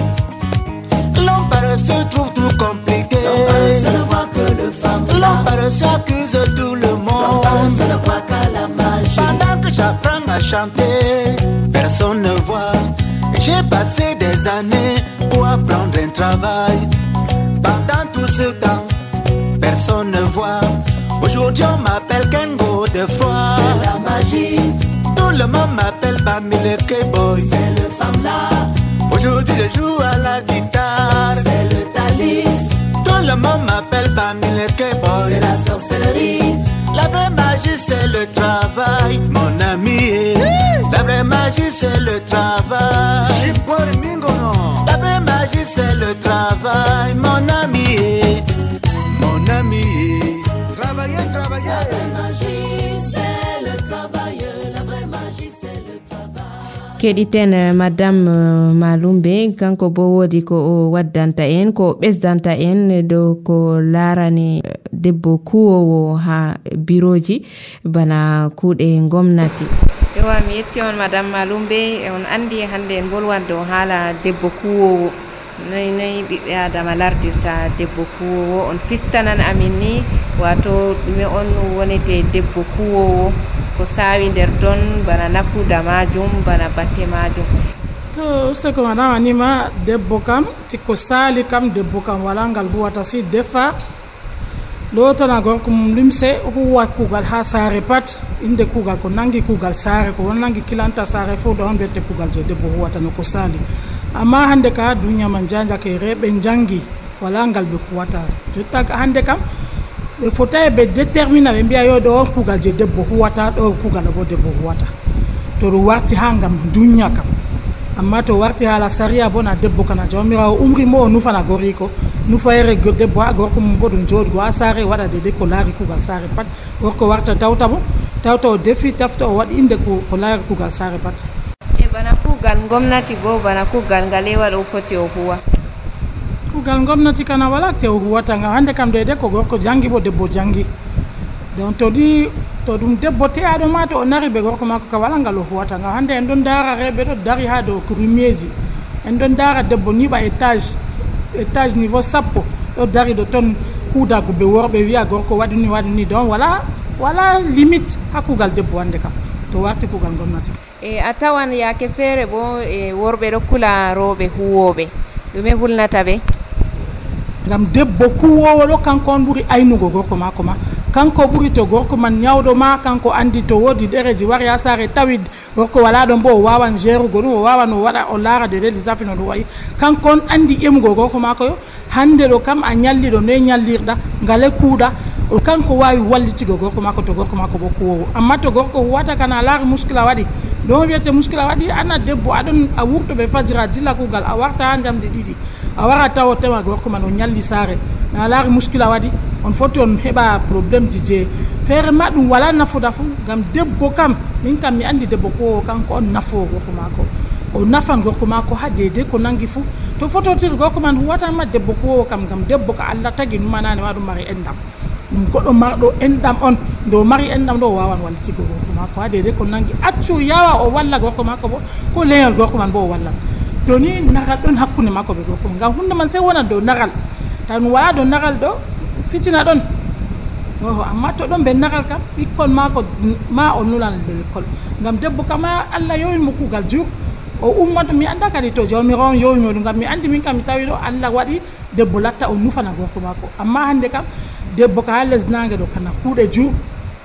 Speaker 4: L'homme paresseux trouve tout compliqué. L'homme paresseux ne voit que le femme. L'homme paresseux accuse tout le monde. L'homme paresseux ne voit qu'à la magie. Pendant que j'apprends à chanter, personne ne voit. J'ai passé des années pour apprendre un travail. Pendant tout ce temps, personne ne voit. Aujourd'hui on m'appelle Kengo de froid. C'est la magie. Tout le monde m'appelle Bamileke Boy. C'est le femme là. Aujourd'hui je joue à la guitare. C'est le talis. Tout le monde m'appelle Bamileke Boy. C'est la sorcellerie. La vraie magie c'est le travail, mon ami. La vraie magie c'est le travail. La vraie magie c'est le travail, mon ami. Mon ami, travailler, travailler. La vraie magie, c'est le travail. La vraie magie, c'est le travail.
Speaker 1: Keɗiten madame Malumbe kanko bo wodi ko o waddanta en ko ɓesdanta en dow ko larani debbo kuwowo ha biroji bana kuuɗe gomnati. Ewa mi yetti on madame Malumbe on andi hande en bolwan dow haala debbo kuwowo. Noy ɓiɓɓe adama lardirta debbo kuwowo on fistanan amin ni wato ɗume on wonete debbo kuwowo ko sawi nder ton bana nafuda majum bana batte majum.
Speaker 5: To seko madama nima debbo kam tikko sali kam debbo kam wala ngal huwata si defa lotana gorko mum limse huwa kugal ha saare pat inde kugal ko nangi kugal saare ko won nangi kilanta saare fo do on bette kugal je debbo huwata no ko sali amma hande ka duniya man janjake reɓe jangi wala ngal ɓe kuwata jotta hande kam ɓe fotayi ɓe détermina ɓe mbiya yo ɗo on kugal je debbo huwata ɗo kugal bo debbo huwata to ɗum warti ha ngam duniya kam amma to warti hala saria bo na debbo kana jawmirawo umri mo o nufana goriko nufayere debbo ha gorko mum bo ɗum joɗgo ha saare waɗa dede ko laari kugal saare pat gorko warta tawta mo tawta o defi tafta o waɗi inde ko laari kugal saare pat
Speaker 1: e bana kugal gomnati bo bana kugal ngal e waɗa o foti o huwa
Speaker 5: kugal gomnati kana wala te o huwata ngam hande kam dede ko gorko jangi bo debbo jangi donc to ɗum debbo teyaɗo ma to o nari ɓe gorko makko ka wala ngal o huwata ngam hande en ɗon dara reɓe ɗo dari ha dow rumieji en ɗon dara debbo niɓa étage niveau sappo ɗo dari ɗo ton huudago ɓe worɓe wiya gorko waɗi ni donc wala limite ha kugal debbo hande kam to warti kugal gomnati
Speaker 1: e a tawan yake feere bo e worɓe ɗo kula rewɓe huwoɓe ɗume hulnata ɓe
Speaker 5: ngam debbo kuwowo ɗo kanko on ɓuuri aynugo gorko mako ma kanko ɓuuri to gorko man ñawɗo ma kanko andi to woodi ɗereji wari ha saare tawi gorko wala ɗon bo o wawan gérugo ɗum o wawan o waɗa o laara de lissafi no ɗum wayi kanko on andi ƴemugo gorko mako yo hande ɗo kam a ñalliɗo noye ñallirɗa ngale kuuɗa o kanko wawi wallitigo gorko mako to gorko mako bo kuwowo amma to gorko huwata kana laari muskila waɗi ɗon wiyete muskila waɗi ana debbo aɗon a wurtoɓe fajira dilla kugal a warta ha jamde ɗiɗi a wara taw o tema gorko man o ñalli saare a laari muskila waɗi on foti on heɓa probléme ji je feere ma ɗum wala nafuda fu ngam debbo kam min kam mi andi debbo ko kanko on nafowo gorko mako o nafan gorko mako ha dede ko nangi fu to fototiri gorko man huwatanma debbo kowo kam ngam debbo ko Allah tagi numanani ma ɗum mari endam ɗum goɗɗo marɗo endam on nde o mari endam ɗo o wawan wallitigo gorko mako ha dede ko nangi accu yawa o walla gorko mako bo ko leñol gorko man bo o wallan joni nagal ɗon hakkude makko ɓe gorko ngam hunde man sey wonat dow nagal taw ɗum wala dow nagal ɗo fitina ɗon amma to ɗon ɓe nagal kam ɓikkon mako ma o nulan ɓe l'école ngam debbo kama Allah yowimo kugal jur o ummoto mi anda kadi to jawmirawo on yowimo ɗum ngam mi andi min kam mi tawi ɗo Allah waɗi debbo latta o nufana gorko mako amma hande kam debbo ka ha lesnage ɗo kana kuuɗe jur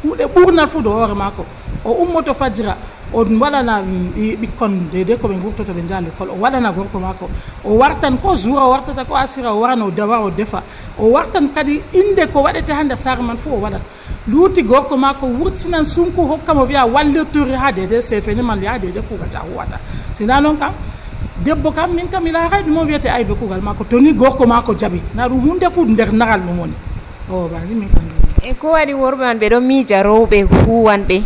Speaker 5: kuuɗe ɓurnat fu do hoore mako o ummoto fajira o waɗana ɓikkon dede ko ɓe gurtoto ɓe jaa l'école o waɗana gorko mako o wartan ko jour o wartata ko asira o warana o dawa o defa o wartan kadi inde ko waɗete ha nder saare man fu o waɗat luuti gorko mako wurtinan sunku hokkamo wiya wallirtori ha dede sefeni man ha dede kugata huwata sina noon kam debbo kam min kam ila hay ɗum o wiyete aybe kugal mako to ni gorko mako jaɓi na ɗum hunde fu nder nagal ɗum woni o bani min kam
Speaker 1: e ko waɗi worɓe man ɓe ɗon miija rewɓe huwanɓe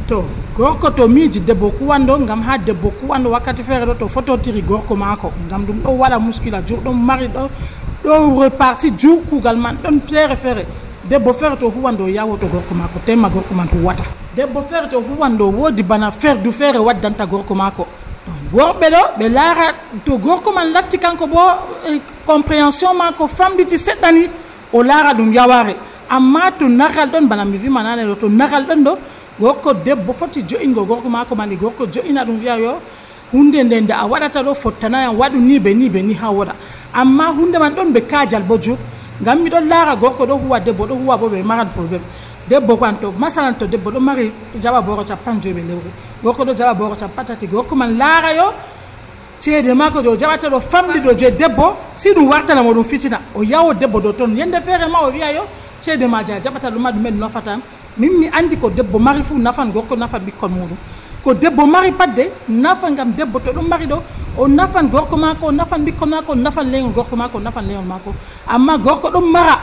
Speaker 1: to
Speaker 5: gorko to miiji debbo kuwanɗo ngam ha debbo kuwanɗo wakkati feere ɗo to fototiri gorko mako ngam ɗum ɗo waɗa muskila jur ɗon mari ɗo réparti jur kugal man ɗon feere debbo feere to huwanɗo yawoto gorko mako tema gorko man huwata debbo feere to huwanɗo woodi bana ferdu feere waddanta gorko mako worɓe ɗo ɓe laara to gorko man latti kanko bo compréhension mako famɗiti seɗɗani o laara ɗum yaware amma to nagal ɗon bana mi wima nane ɗo to nagal ɗon ɗo gorko debbo foti jo'ingo gorko mako mani gorko jo'ina ɗum wiya yo hunde nde nde a waɗata ɗo fottanayam waɗu ni ɓe ni ha woɗa amma hunde man ɗon ɓe kajal bo jur ngam miɗon laara gorko ɗo huwa debbo ɗo huwa bo ɓe marat probléme debbo kan to masalan to debbo ɗo mari jaɓa boro 50 lewru gorko ɗo jaɓa boro 50 gorko man laara yo ceede mako jo jaɓata ɗo famɗi ɗo je debbo si ɗum wartanamo ɗum fitina o yawo debbo ɗo toon yende feere ma o wiya yo ceede ma ja jaɓata ɗuma ɗumen nofatan min mi andi ko debbo mari fu nafan gorko nafan ɓikkon muɗum ko debbo mari padde nafa ngam debbo to ɗum mari ɗo o nafan gorko mako o nafan ɓikkon mako o nafan leñol gorko mako o nafan leñol mako amma gorko ɗum mara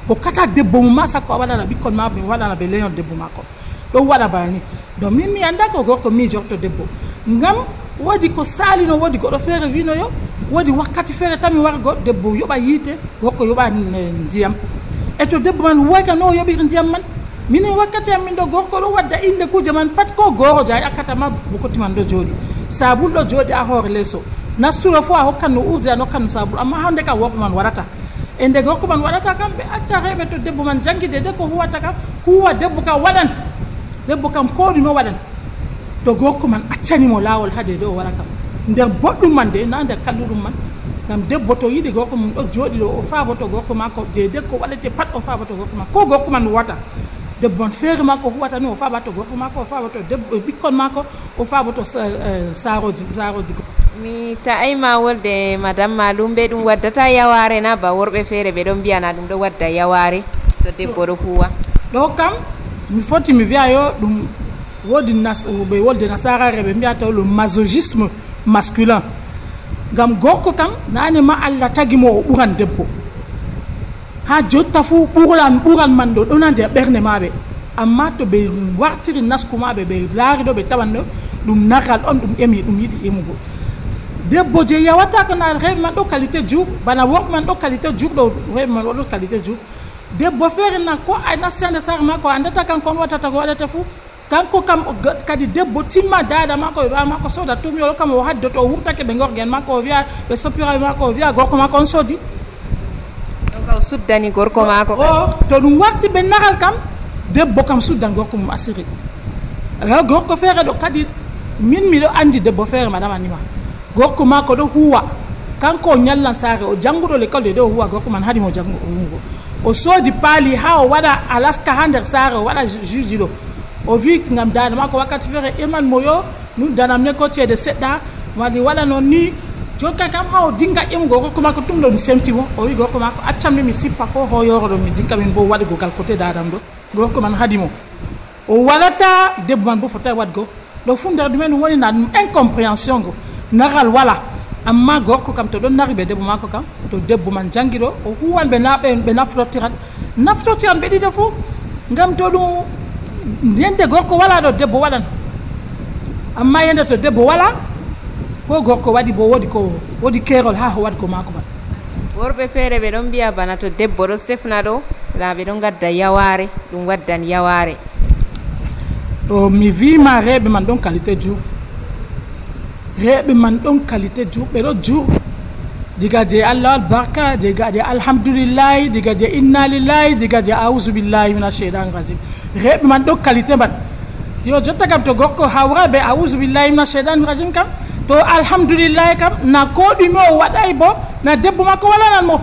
Speaker 5: ko kata debbo mum ma sakko a waɗana ɓikkon ma ɓe waɗana ɓe leñol debbo mako ɗon waɗa bana ni donc min mi anda ko gorko miijorto debbo ngam woodi ko salino woodi goɗɗo feere wino yo woodi wakkati feere tami wargo debbo yoɓa yiite gorko yoɓa ndiyam e to debbo man woyka no yoɓiri ndiyam man minen wakkati am min ɗo gorko ɗo wadda inde kuje man pat ko gorojo a yakkatama bokoti man ɗo jooɗi sabul ɗo jooɗi a hoore leeso nasturo fo a hokkan no urdi a nokkan no sabul amma hande kam worɓe man waɗata e nde gorko man waɗata kam ɓe acca reɓe to debbo man jangguide de ko huwata kam huwa debbo kam waɗan debbo kam ko ɗume waɗan to gorko man accanimo laawol haade de o waɗa kam nder boɗɗum man de na nder kalluɗum man ngam debbo to yiɗi gorko mum ɗo jooɗi ɗo o faaboto gorko makko de ko waɗete pat o faaboto gorko makko ko gorko man wata debbo on feere makko huwata ni o faabato gorko makko o faaboto debbo ɓikkon makko o faaboto saaroji
Speaker 1: mi ta'ayma wolde madame Malumbe ɗum waddata yaware na ba worɓe feere ɓe ɗon mbiyana ɗum ɗo wadda yaware to debbo ɗo huwa
Speaker 5: ɗo kam mi foti mi wiya yo ɗum wodi ɓe wolde nasarare ɓe mbiyata ɗum masochisme masculin ngam gorko kam nane ma Allah tagi mo o ɓuran debbo ha jotta fuu ɓural man ɗo ɗona nder ɓerde maɓe amma to ɓe wartiri nasku maɓe ɓe laari ɗo ɓe tawan ɗo ɗum naral on ɗum emi ɗum yiɗi emugo debbo je yawata ko na reɓe man ɗo qualité jour bana worɓe man ɗo qualité jour ɗo reɓe man oɗo qualité jour debbo feere na ko a nastande sare makko andata kanko on wattata ko waɗata fuu kanko kam kadi debbo timma dada makko ɓe ɓa makko sooda tumyolo kam o haddoto o wurtake ɓe gorgen makko o wiya ɓe soppiraɓe makko o wiya gorko makko on soodi
Speaker 1: donc o suddani gorko makko
Speaker 5: o to ɗum warti ɓe naral kam debbo kam suddan gorko mum asiri gorko feere ɗo kadi min miɗo andi debbo feere madame Anima gorko makko ɗo huwa kanko o ñallan saare o jannguɗo l'école de ɗo huwa gorko man haɗimo jangugo o soodi paali ha o waɗa alaska ha nder saare o waɗa juji ɗo o wi ngam dada makko wakkati feere eman mo yo nun danam ne ko ceede seɗɗa wali waɗa noon ni jokka kam ha o dinga ƴemugo gorko makko tum ɗo mi semtimo o wi gorko makko accam mi sippa ko hoyoro ɗo mi dinka min bo waɗugo gal côté dadam ɗo gorko man haadimo o waɗata debbo man bo fota waɗgo ɗo fu nder ɗumen ɗum woni na ɗum incompréhension go naral wala amma gorko kam to ɗon nari ɓe debbo makko kam to debbo man jangi ɗo o huwan ɓe naftortiran ɓe ɗiɗo fuu ngam to ɗum yende gorko wala ɗo debbo waɗan amma yende to debbo wala ko gorko waɗi bo wodi keerol ha waɗgo makko man
Speaker 1: worɓe feere ɓe ɗon mbiya bana to debbo ɗo sefna ɗo na ɓe ɗon gadda yaware ɗum waddan yaware
Speaker 5: o mi wima reɓe man ɗon qualité jour reɓe man ɗon qualité jour ɓe ɗo jour diga je Allah barka diga je alhamdulillahi diga je inna lillahi diga je a'udhu billahi minash shaitani rajim reɓe man ɗo qualité man yo jotta kam to gorko hawra be a'udhu billahi minash shaitani rajim kam to alhamdulillahi kam na ko ɗume o waɗay bo na debbo makko walanan mo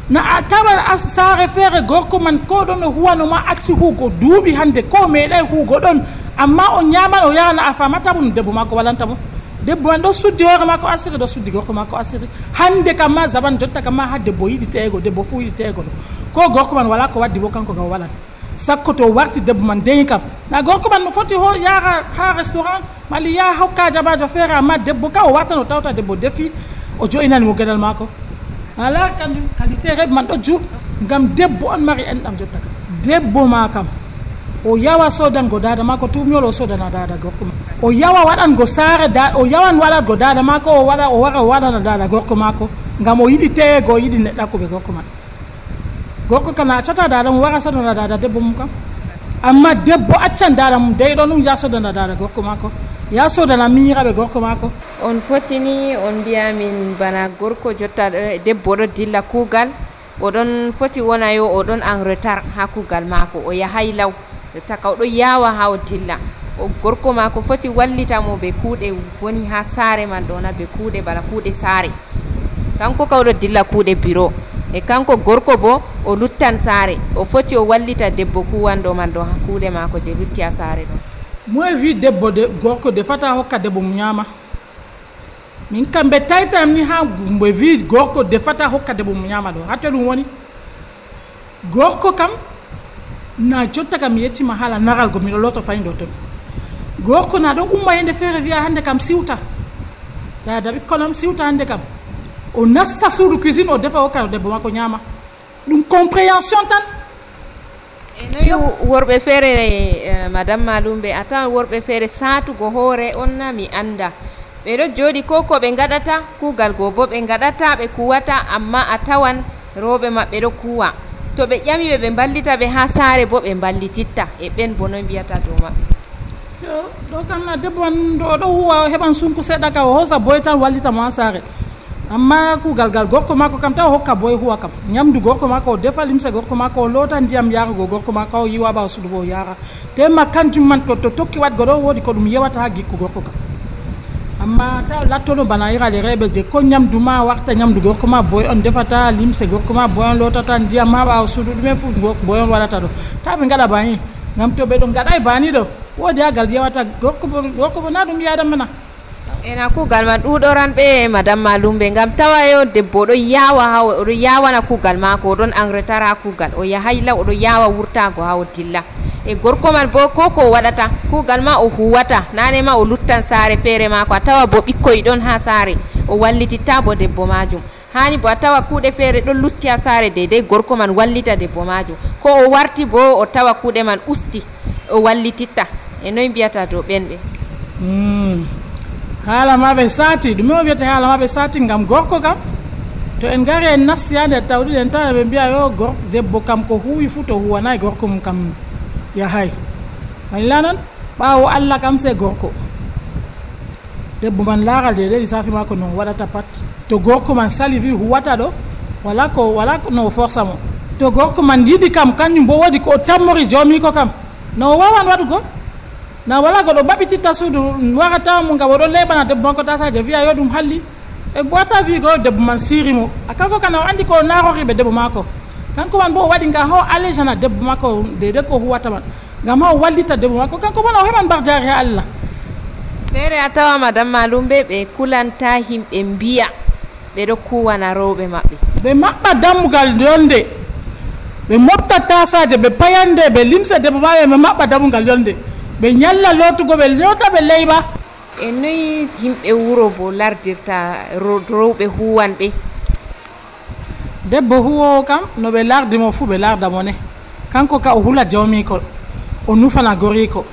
Speaker 5: na a tawa saare feere gorko man ko ɗon o huwano ma acci huugo duuɓi hande ko meeɗay huugo ɗon amma o ñaman o yahana a famata mo no debbo makko walanta mo debbo man ɗo suddi hoore makko asiri ɗo suddi gorko makko asiri hande kam ma zaman jotta kam ma ha debbo yiɗi teego debbo fuu yiɗi teego ɗo ko gorko man wala ko waddi bo kanko gaw walan sakko to warti debbo man deyi kam na gorko man no foti yaha ha restaurant mali yaha hokka jabajo feere amma debbo ka o warta no tawta debbo defi o jo'inani mo gueɗal makko ala kanjum qualité reɓe man ɗo jur ngam debbo on mari enɗam jotta kam debbo ma kam o yawa sodango dada makko tumyol o sodana dada gorko ma o yawa waɗango saare o yawan waɗatgo dada makko o wara o waɗana dada gorko makko ngam o yiɗi teego o yiɗi neɗɗakkuɓe gorko man gorko kana accata dada mum wara sodana dada debbo mum kam amma debbo accan dada mum deyɗo ɗum ya sodana dada gorko makko ya sodana miñiraɓe gorko makko
Speaker 1: on fotini on mbiyamin bana gorko jotta debbo ɗo dilla kuugal oɗon foti wona yo oɗon en retard ha kuugal makko o yahay law taka oɗo yawa ha o dilla o gorko makko foti wallitamo ɓe kuuɗe woni ha saare man ɗona ɓe kuuɗe bana kuuɗe saare kanko kawɗo dilla kuuɗe bureau e kanko gorko bo o luttan saare o foti o wallita debbo kuwanɗo man ɗo ha kuuɗe makko je lutti ha saare ɗo
Speaker 5: moye wi debbo gorko defata hokka debbo mum ñaama min kam ɓe taytam ni ha ɓe wi gorko defata hokka debbo mum ñaama ɗo hatte ɗum woni gorko kam na jotta kam mi yeccima haala naral go miɗo loto fayindo ton gorko na ɗo umma yende feere wiya hande kam siwta dada ɓikkonam siwta hande kam o nassa suudu cuisine o defa hokka debbo makko ñaama ɗum compréhension tan
Speaker 1: noyi worɓe feere madame Malumbe a tawan worɓe feere satugo hoore on na mi anda ɓeɗo jooɗi ko ko ɓe gaɗata kuugal goo bo ɓe gaɗata ɓe kuwata amma a tawan rewɓe maɓɓe ɗo kuwa to ɓe ƴamiɓe ɓe ballita ɓe ha saare bo ɓe ballititta e ɓen bo noy mbiyata dow maɓɓe
Speaker 5: ɗo kam na debbo man ɗo huwa heɓan sunku seɗɗa ka o hosa boy tan wallita mo ha saare amma kuugal gal gorko makko kam taw hokka boy huwa kam ñamdu gorko makko o defa limse gorko makko o loota ndiyam yarago gorko makko o yiwa ɓawa suudu bo o yara tema kanjum man to tokki waɗgo ɗo woodi ko ɗum yewata ha gikku gorko kam amma taw lattono bana irade reɓe je ko ñamdu ma warta ñamdu gorko ma boy on defata limse gorko ma boy on lotata ndiyam ha ɓawa suudu ɗumen fof boy on waɗata ɗo taw ɓe gaɗa bani ngam to ɓe ɗo gaɗa e bani ɗo woodi ha gal yewata gorko bo na ɗum yiyadam mana
Speaker 1: ena kugal man ɗuɗoran ɓe madame Malumbe ngam tawa yo debbo ɗo yawa ha oɗo yawana kugal mako oɗon engrais ha kugal o yahay law oɗo yawa wurtago ha o dilla e gorko man bo ko waɗata kugal ma o huwata nane ma o luttan saare feere mako a tawa bo ɓikkoy ɗon ha saare o wallititta bo debbo majum hani bo a tawa kuuɗe feere ɗon lutti ha saare deydey gorko man wallita debbo majum ko o warti bo o tawa kuuɗe man usti o wallititta e noy mbiyata dow ɓenɓe
Speaker 5: haala maɓe saati ɗume o wiyata haala maɓe saati ngam gorko kam to en gari en nasti ha nder tawɗiɗe en tawa ɓe mbiya yo debbo kam ko huwi fuu to huwanayi gorko mum kam yahay walla non ɓaawo Allah kam se gorko debbo man laaral de lissafi mako no waɗata pat to gorko man sali wi huwata ɗo wala ko no forsa mo to gorko man yiɗi kam kañum bo woodi ko o tammori jawmiko kam no wawan waɗugo na wala goɗo ɓaɓititta suudu warata mo ngam oɗo leɓana debbo man ko tasaje wiya yo ɗum halli e bota wigo debbo man sirimo a kanko kana o andi ko naroriɓe debbo mako kanko man bo o waɗi ngam ha allégana debbo mako dede ko huwata man ngam ha o wallita debbo mako kanko man o heɓan barjari ha Allah
Speaker 1: feere a tawa madame Malumbe ɓe kulanta himɓe mbiya ɓeɗo kuwana rewɓe maɓɓe
Speaker 5: ɓe maɓɓa dammugal yolde ɓe motta tasaje ɓe payande ɓe limse debbo maɓe ɓe maɓɓa dammugal yolde ɓe ñalla lotugo ɓe lota ɓe leyɓa
Speaker 1: e noyi yimɓe wuro bo lardirta rewɓe huwanɓe
Speaker 5: debbo huwowo kam no ɓe lardimo fuu ɓe lardamo ne kanko ka o hula jawmiko o nufana goriko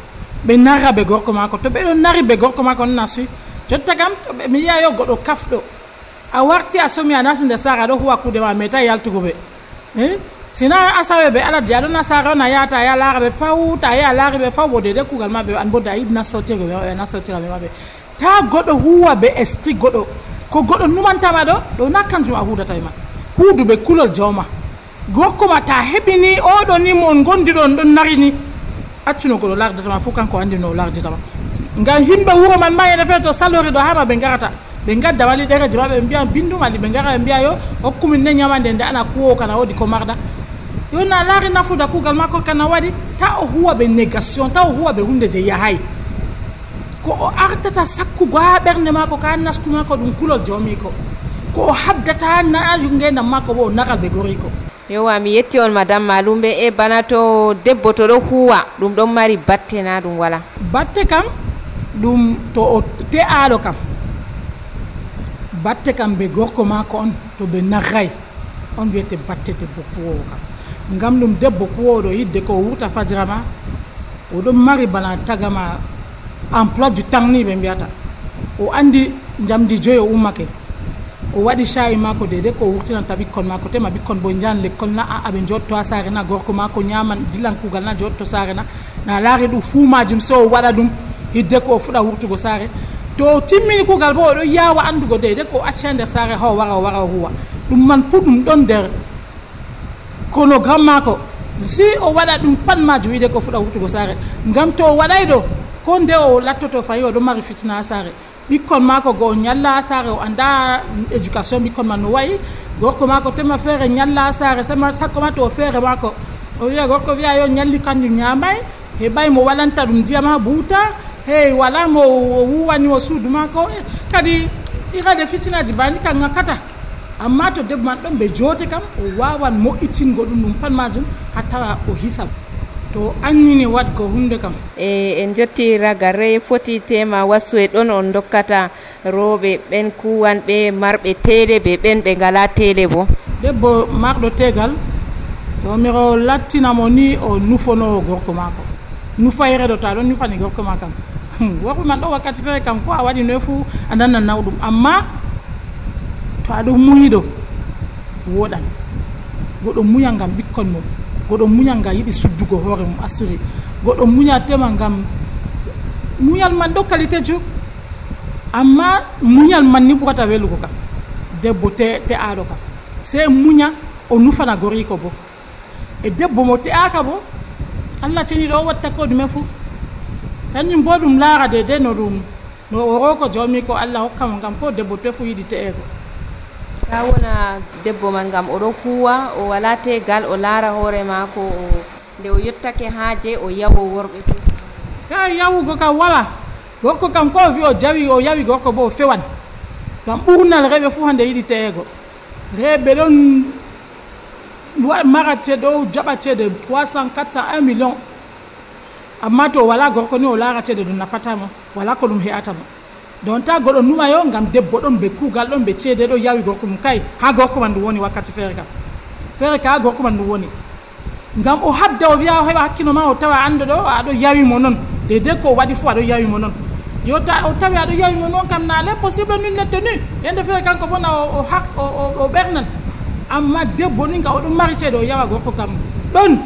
Speaker 5: ɓe narra ɓe gorko mako to ɓeɗo nari ɓe gorko mako nana suyi jotta kam mi yiya yo goɗɗo kafɗo a warti a somi a nasi nder saare aɗo huwa kuuɗe ma meta yaltugo ɓe sina asawe ɓe aladi aɗo na saare on a yahata a ya laara ɓe faw ta ya laari ɓe faw bo dede kugal maɓɓe an bo da yiɗi nassotira ɓe nassotira ɓe maɓɓe ta goɗɗo huwa ɓe esprit goɗɗo ko goɗɗo numantama ɗo na kanjum a hudata e ma huuduɓe kulol jawma gorko ma ta heɓini oɗo ni mo on gondiɗo on ɗon nari ni accuno goɗo lardatama fof kanko andi no larditama ngam himɓe wuro man ma ene feere to salori ɗo hama ɓe garata ɓe gadda wali ɗereji maɓe ɓe mbiya bindumali ɓe gara ɓe mbiya yo hokkumin ne ñamande nde ana kuwowo kana woodi ko marɗa yo na laari nafuda kuugal makko kana waɗi ta o huwa ɓe négation ta o huwa ɓe hunde je yahay ko o artata sakkugo ha ɓernde makko ka nasku makko ɗum kulol jawmiko ko o habdata na ngendam makko bo o nagal ɓe goriko
Speaker 1: yowa mi yetti on madame Malumbe e bana to debbo to ɗo huwa ɗum ɗon mari batte na ɗum wala
Speaker 5: batte kam ɗum to o te'aɗo kam batte kam ɓe gorko mako on to ɓe narray on wiyete batte debbo kuwowo kam ngam ɗum debbo kuwowo yidde ko wurta fajira ma oɗon mari bana tagama emploi du temps ni ɓe mbiyata o andi jamdi joyi o ummake o waɗi shayi mako dede ko wurtinanta ɓikkon mako tema ɓikkon bo jan l'école na aɓe jotto ha saare na gorko mako ñaman dillan kugal na jotto saare na laari ɗum fuu majum so o waɗa ɗum hidde ko o fuɗa wurtugo saare to timmini kugal bo oɗo yawa andugo dede ko acca nder saare ha o wara o huwa ɗum man pu ɗum ɗon nder chronogramme mako si o waɗa ɗum pat majum hidde ko fuɗa wurtugo saare ngam to o waɗay ɗo ko nde o lattoto fayi oɗo mari fitina ha saare ɓikkon mako go ñalla saare o anda éducation ɓikkon man no wayi gorko mako tema feere ñalla saare sama sakko ma to o feere mako o wiya gorko wiya yo ñalli kanjum ñamay heɓay mo walanta ɗum ndiyam ha buuta hey wala mo wuwani o suudu mako kadi irade fitinaji bani kan ŋakkata amma to debbo man ɗon ɓe joote kam o wawan moƴƴitingo ɗum pat majum ha tawa o hisa to annini wadgo hunde kam
Speaker 1: en jotti ragare foti tema wasu e ɗon on dokkata rewɓe ɓen kuwanɓe marɓe tele be ɓen ɓe ngala tele bo
Speaker 5: debbo marɗo tegal jomiro lattinamo ni o nufonowo gorko mako nufayre ɗo ta ɗon nufani gorko ma kam worɓe man ɗo wakkati feere kam ko a waɗi noy fuu a nanna nawɗum amma to aɗo muyiɗo woɗan goɗo muya ngam ɓikkon mum goɗo muñal ngal yiɗi suddugo hoore mum asiri goɗo muñal tema ngam muñal man ɗo qualité ju amma muñal man ni ɓurata welugo kam debbo te'aɗo kam se muña o nufana goriko bo e debbo mo te'aka bo Allah ceniɗo o watta ko ɗume fuu kañum bo ɗum laara dede no o roko jawmi ko Allah hokkamo ngam ko debbo te fu yiɗi te'ego
Speaker 1: ka wona debbo man ngam oɗo huwa o wala tegal o laara hoore mako nde o yettake haaje o yawo worɓe fof
Speaker 5: ka yawugo ka wala gorko kam ko wi o jawi o yawi gorko bo fewan kam ɓurnal reɓe fu hande yiɗi teego reɓe ɗon marate ɗo jaɓatede 300 400 1 million amma to wala gorko ni o laratede ɗum nafatama wala ko ɗum he'atama don ta goɗo numayo ngam debbo ɗon ɓe kuugal ɗon ɓe ceede ɗo yawi gorko mum kay ha gorko man ɗum woni wakkati feere ka ha gorko man ɗum woni ngam o habda o wiya o heɓa hakkilo ma o tawa ande ɗo aɗo yawi mo noon dedei ko o waɗi fu aɗo yawi mo noon yo o tawi aɗo yawi mo noon kam na l'impossible nul n'est tenu yande feere kanko bona o ɓernan amma debbo ni nga oɗum mari ceede o yawa gorko kam ɗon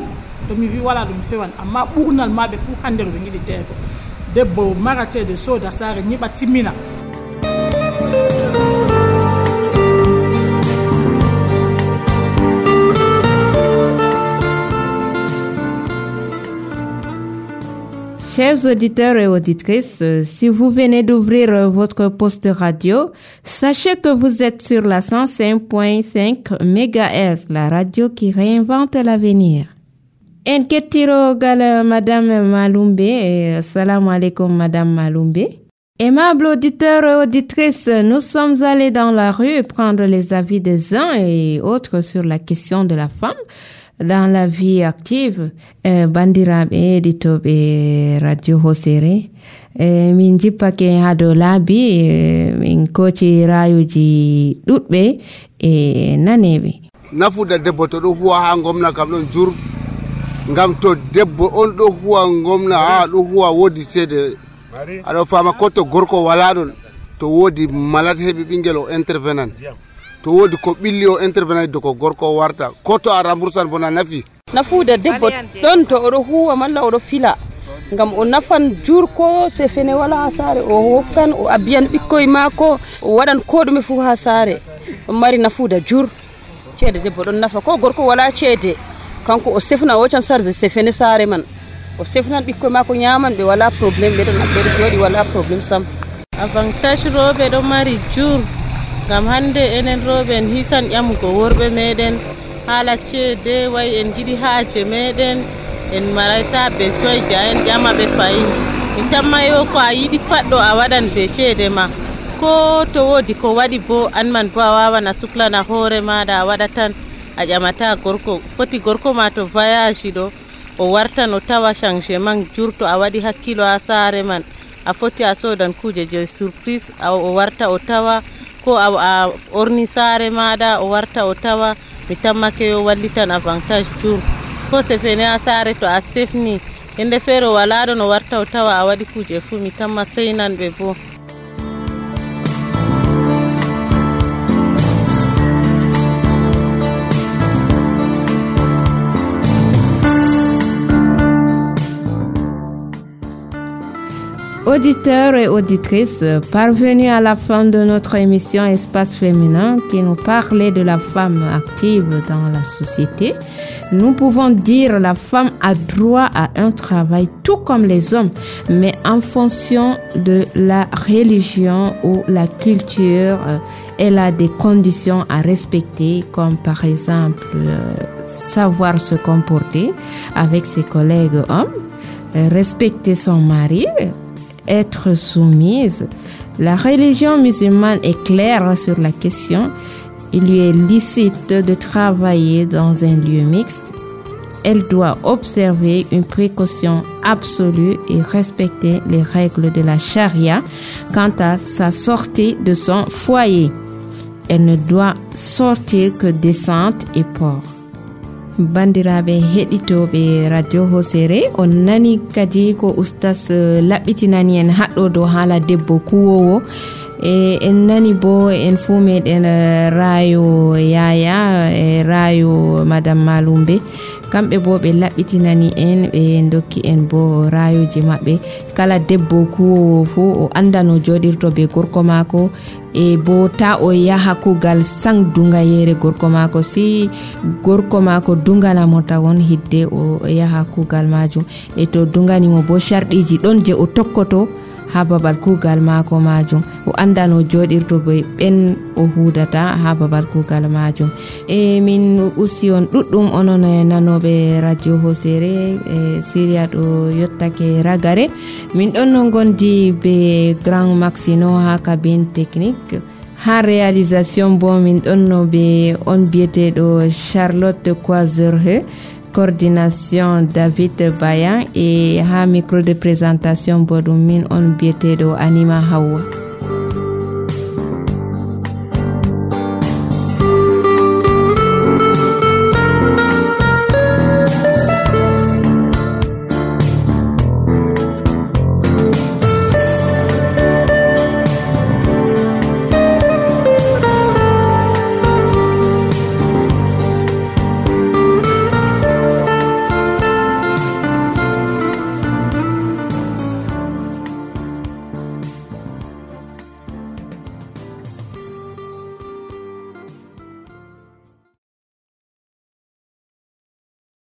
Speaker 5: to mi wi wala ɗum fewan amma ɓurnal maɓe fu hande ɗo ɓe giɗi teego debbo mara ceede sooda saare ñiɓa timmina.
Speaker 1: Chers auditeurs et auditrices, si vous venez d'ouvrir votre poste radio, sachez que vous êtes sur la 105.5 MHz, la radio qui réinvente l'avenir. En kettiro gal Madame Maloumbe, salam alaikum Madame Maloumbe. Aimables auditeurs et auditrices, nous sommes allés dans la rue prendre les avis des uns et autres sur la question de la femme dans la vie active. Bandiraɓe ɗitoɓe radio hosere min jippake ha dow laabi min koci rayuji ɗuɗɓe e naneɓe.
Speaker 6: Nafuda debbo to ɗo huwa ha gomna kam ɗon jur ngam to debbo on ɗo huwa gomna ha ɗo huwa wodi ceede aɗo fama ko to gorko wala ɗon to wodi malade heɓi ɓinguel o intervenan to wodi ko ɓilli o intervenant do ko gorko warta ko to a remboursan bona nafi
Speaker 7: nafuda debbo ɗon to oɗo huwa malla oɗo fila ngam o nafan jur ko se fene wala ha saare o hokkan o abiyan ɓikkoye maako o waɗan ko ɗume fu ha saare ɗon mari nafuda jur ceede debbo ɗon nafa ko gorko wala ceede kanko o sefna o can sarde se fene saare man o sefnan ɓikkoye maako ñaman ɓe wala probléme ɓe ɗon ɓeɗo jooɗi wala probléme sam.
Speaker 8: Avantage rooɓe ɗo mari jur ngam hande enen rooɓe en hisan ƴamugo worɓe meɗen haala ceede wayi en jiɗi haaje meɗen en marayta besoin ja en ƴama ɓe fayin min tammayo ko a yiɗi paɗɗo a waɗan be ceede ma ko to woodi ko waɗi bo an man bo a wawan a suklana hoore maɗa a waɗa tan a ƴamata gorko foti gorko ma to voyage ɗo o wartan o tawa changement jurto a waɗi hakkilo ha saare man a foti a sodan kuje je surprise o warta o tawa ko a orni saare maɗa o warta o tawa mi tammake yo wallitan avantage jur ko se fene a saare to a sefni ende feere o wala ɗon o warta o tawa a waɗi kuje fu mi tamma seynanɓe bo.
Speaker 1: Auditeurs et auditrices, parvenus à la fin de notre émission Espace Féminin qui nous parlait de la femme active dans la société, nous pouvons dire la femme a droit à un travail tout comme les hommes, mais en fonction de la religion ou la culture, elle a des conditions à respecter, comme par exemple savoir se comporter avec ses collègues hommes, respecter son mari, être soumise. La religion musulmane est claire sur la question. Il lui est licite de travailler dans un lieu mixte. Elle doit observer une précaution absolue et respecter les règles de la charia quant à sa sortie de son foyer. Elle ne doit sortir que décente et propre. Bandiraɓe heɗitoɓe radio hosere on nani kadi ko ustas laɓɓitinani en haɗɗo dow haala debbo kuwowo e en nani bo en fuu meɗen rayo yaya e rayo madame Maloumbe kamɓe bo ɓe laɓɓitinani en ɓe dokki en bo rayoji maɓɓe kala debbo kuwowo fuu o anda no joɗirto be gorko maako e bo ta o yaha kugal sang dungayere gorko maako si gorko maako dunganamo tawon hidde o yaha kugal majum e to dunganimo bo sharɗiji ɗon je o tokkoto ha babal kugal maako majum, o anda no joɗirto be ɓen o hudata ha babal kugal majum. E min usti on ɗuɗɗum onon nanoɓe radio Hosere Syria ɗo yottake ragare. Min ɗon no gondi be Grand Maxino ha cabine technique. Ha réalisation bo min ɗon no be on biyeteɗo Charlotte Coiserhe, coordination David Bayan, et ha micro de présentation bo ɗum min on biyeteɗo Anima Hawa.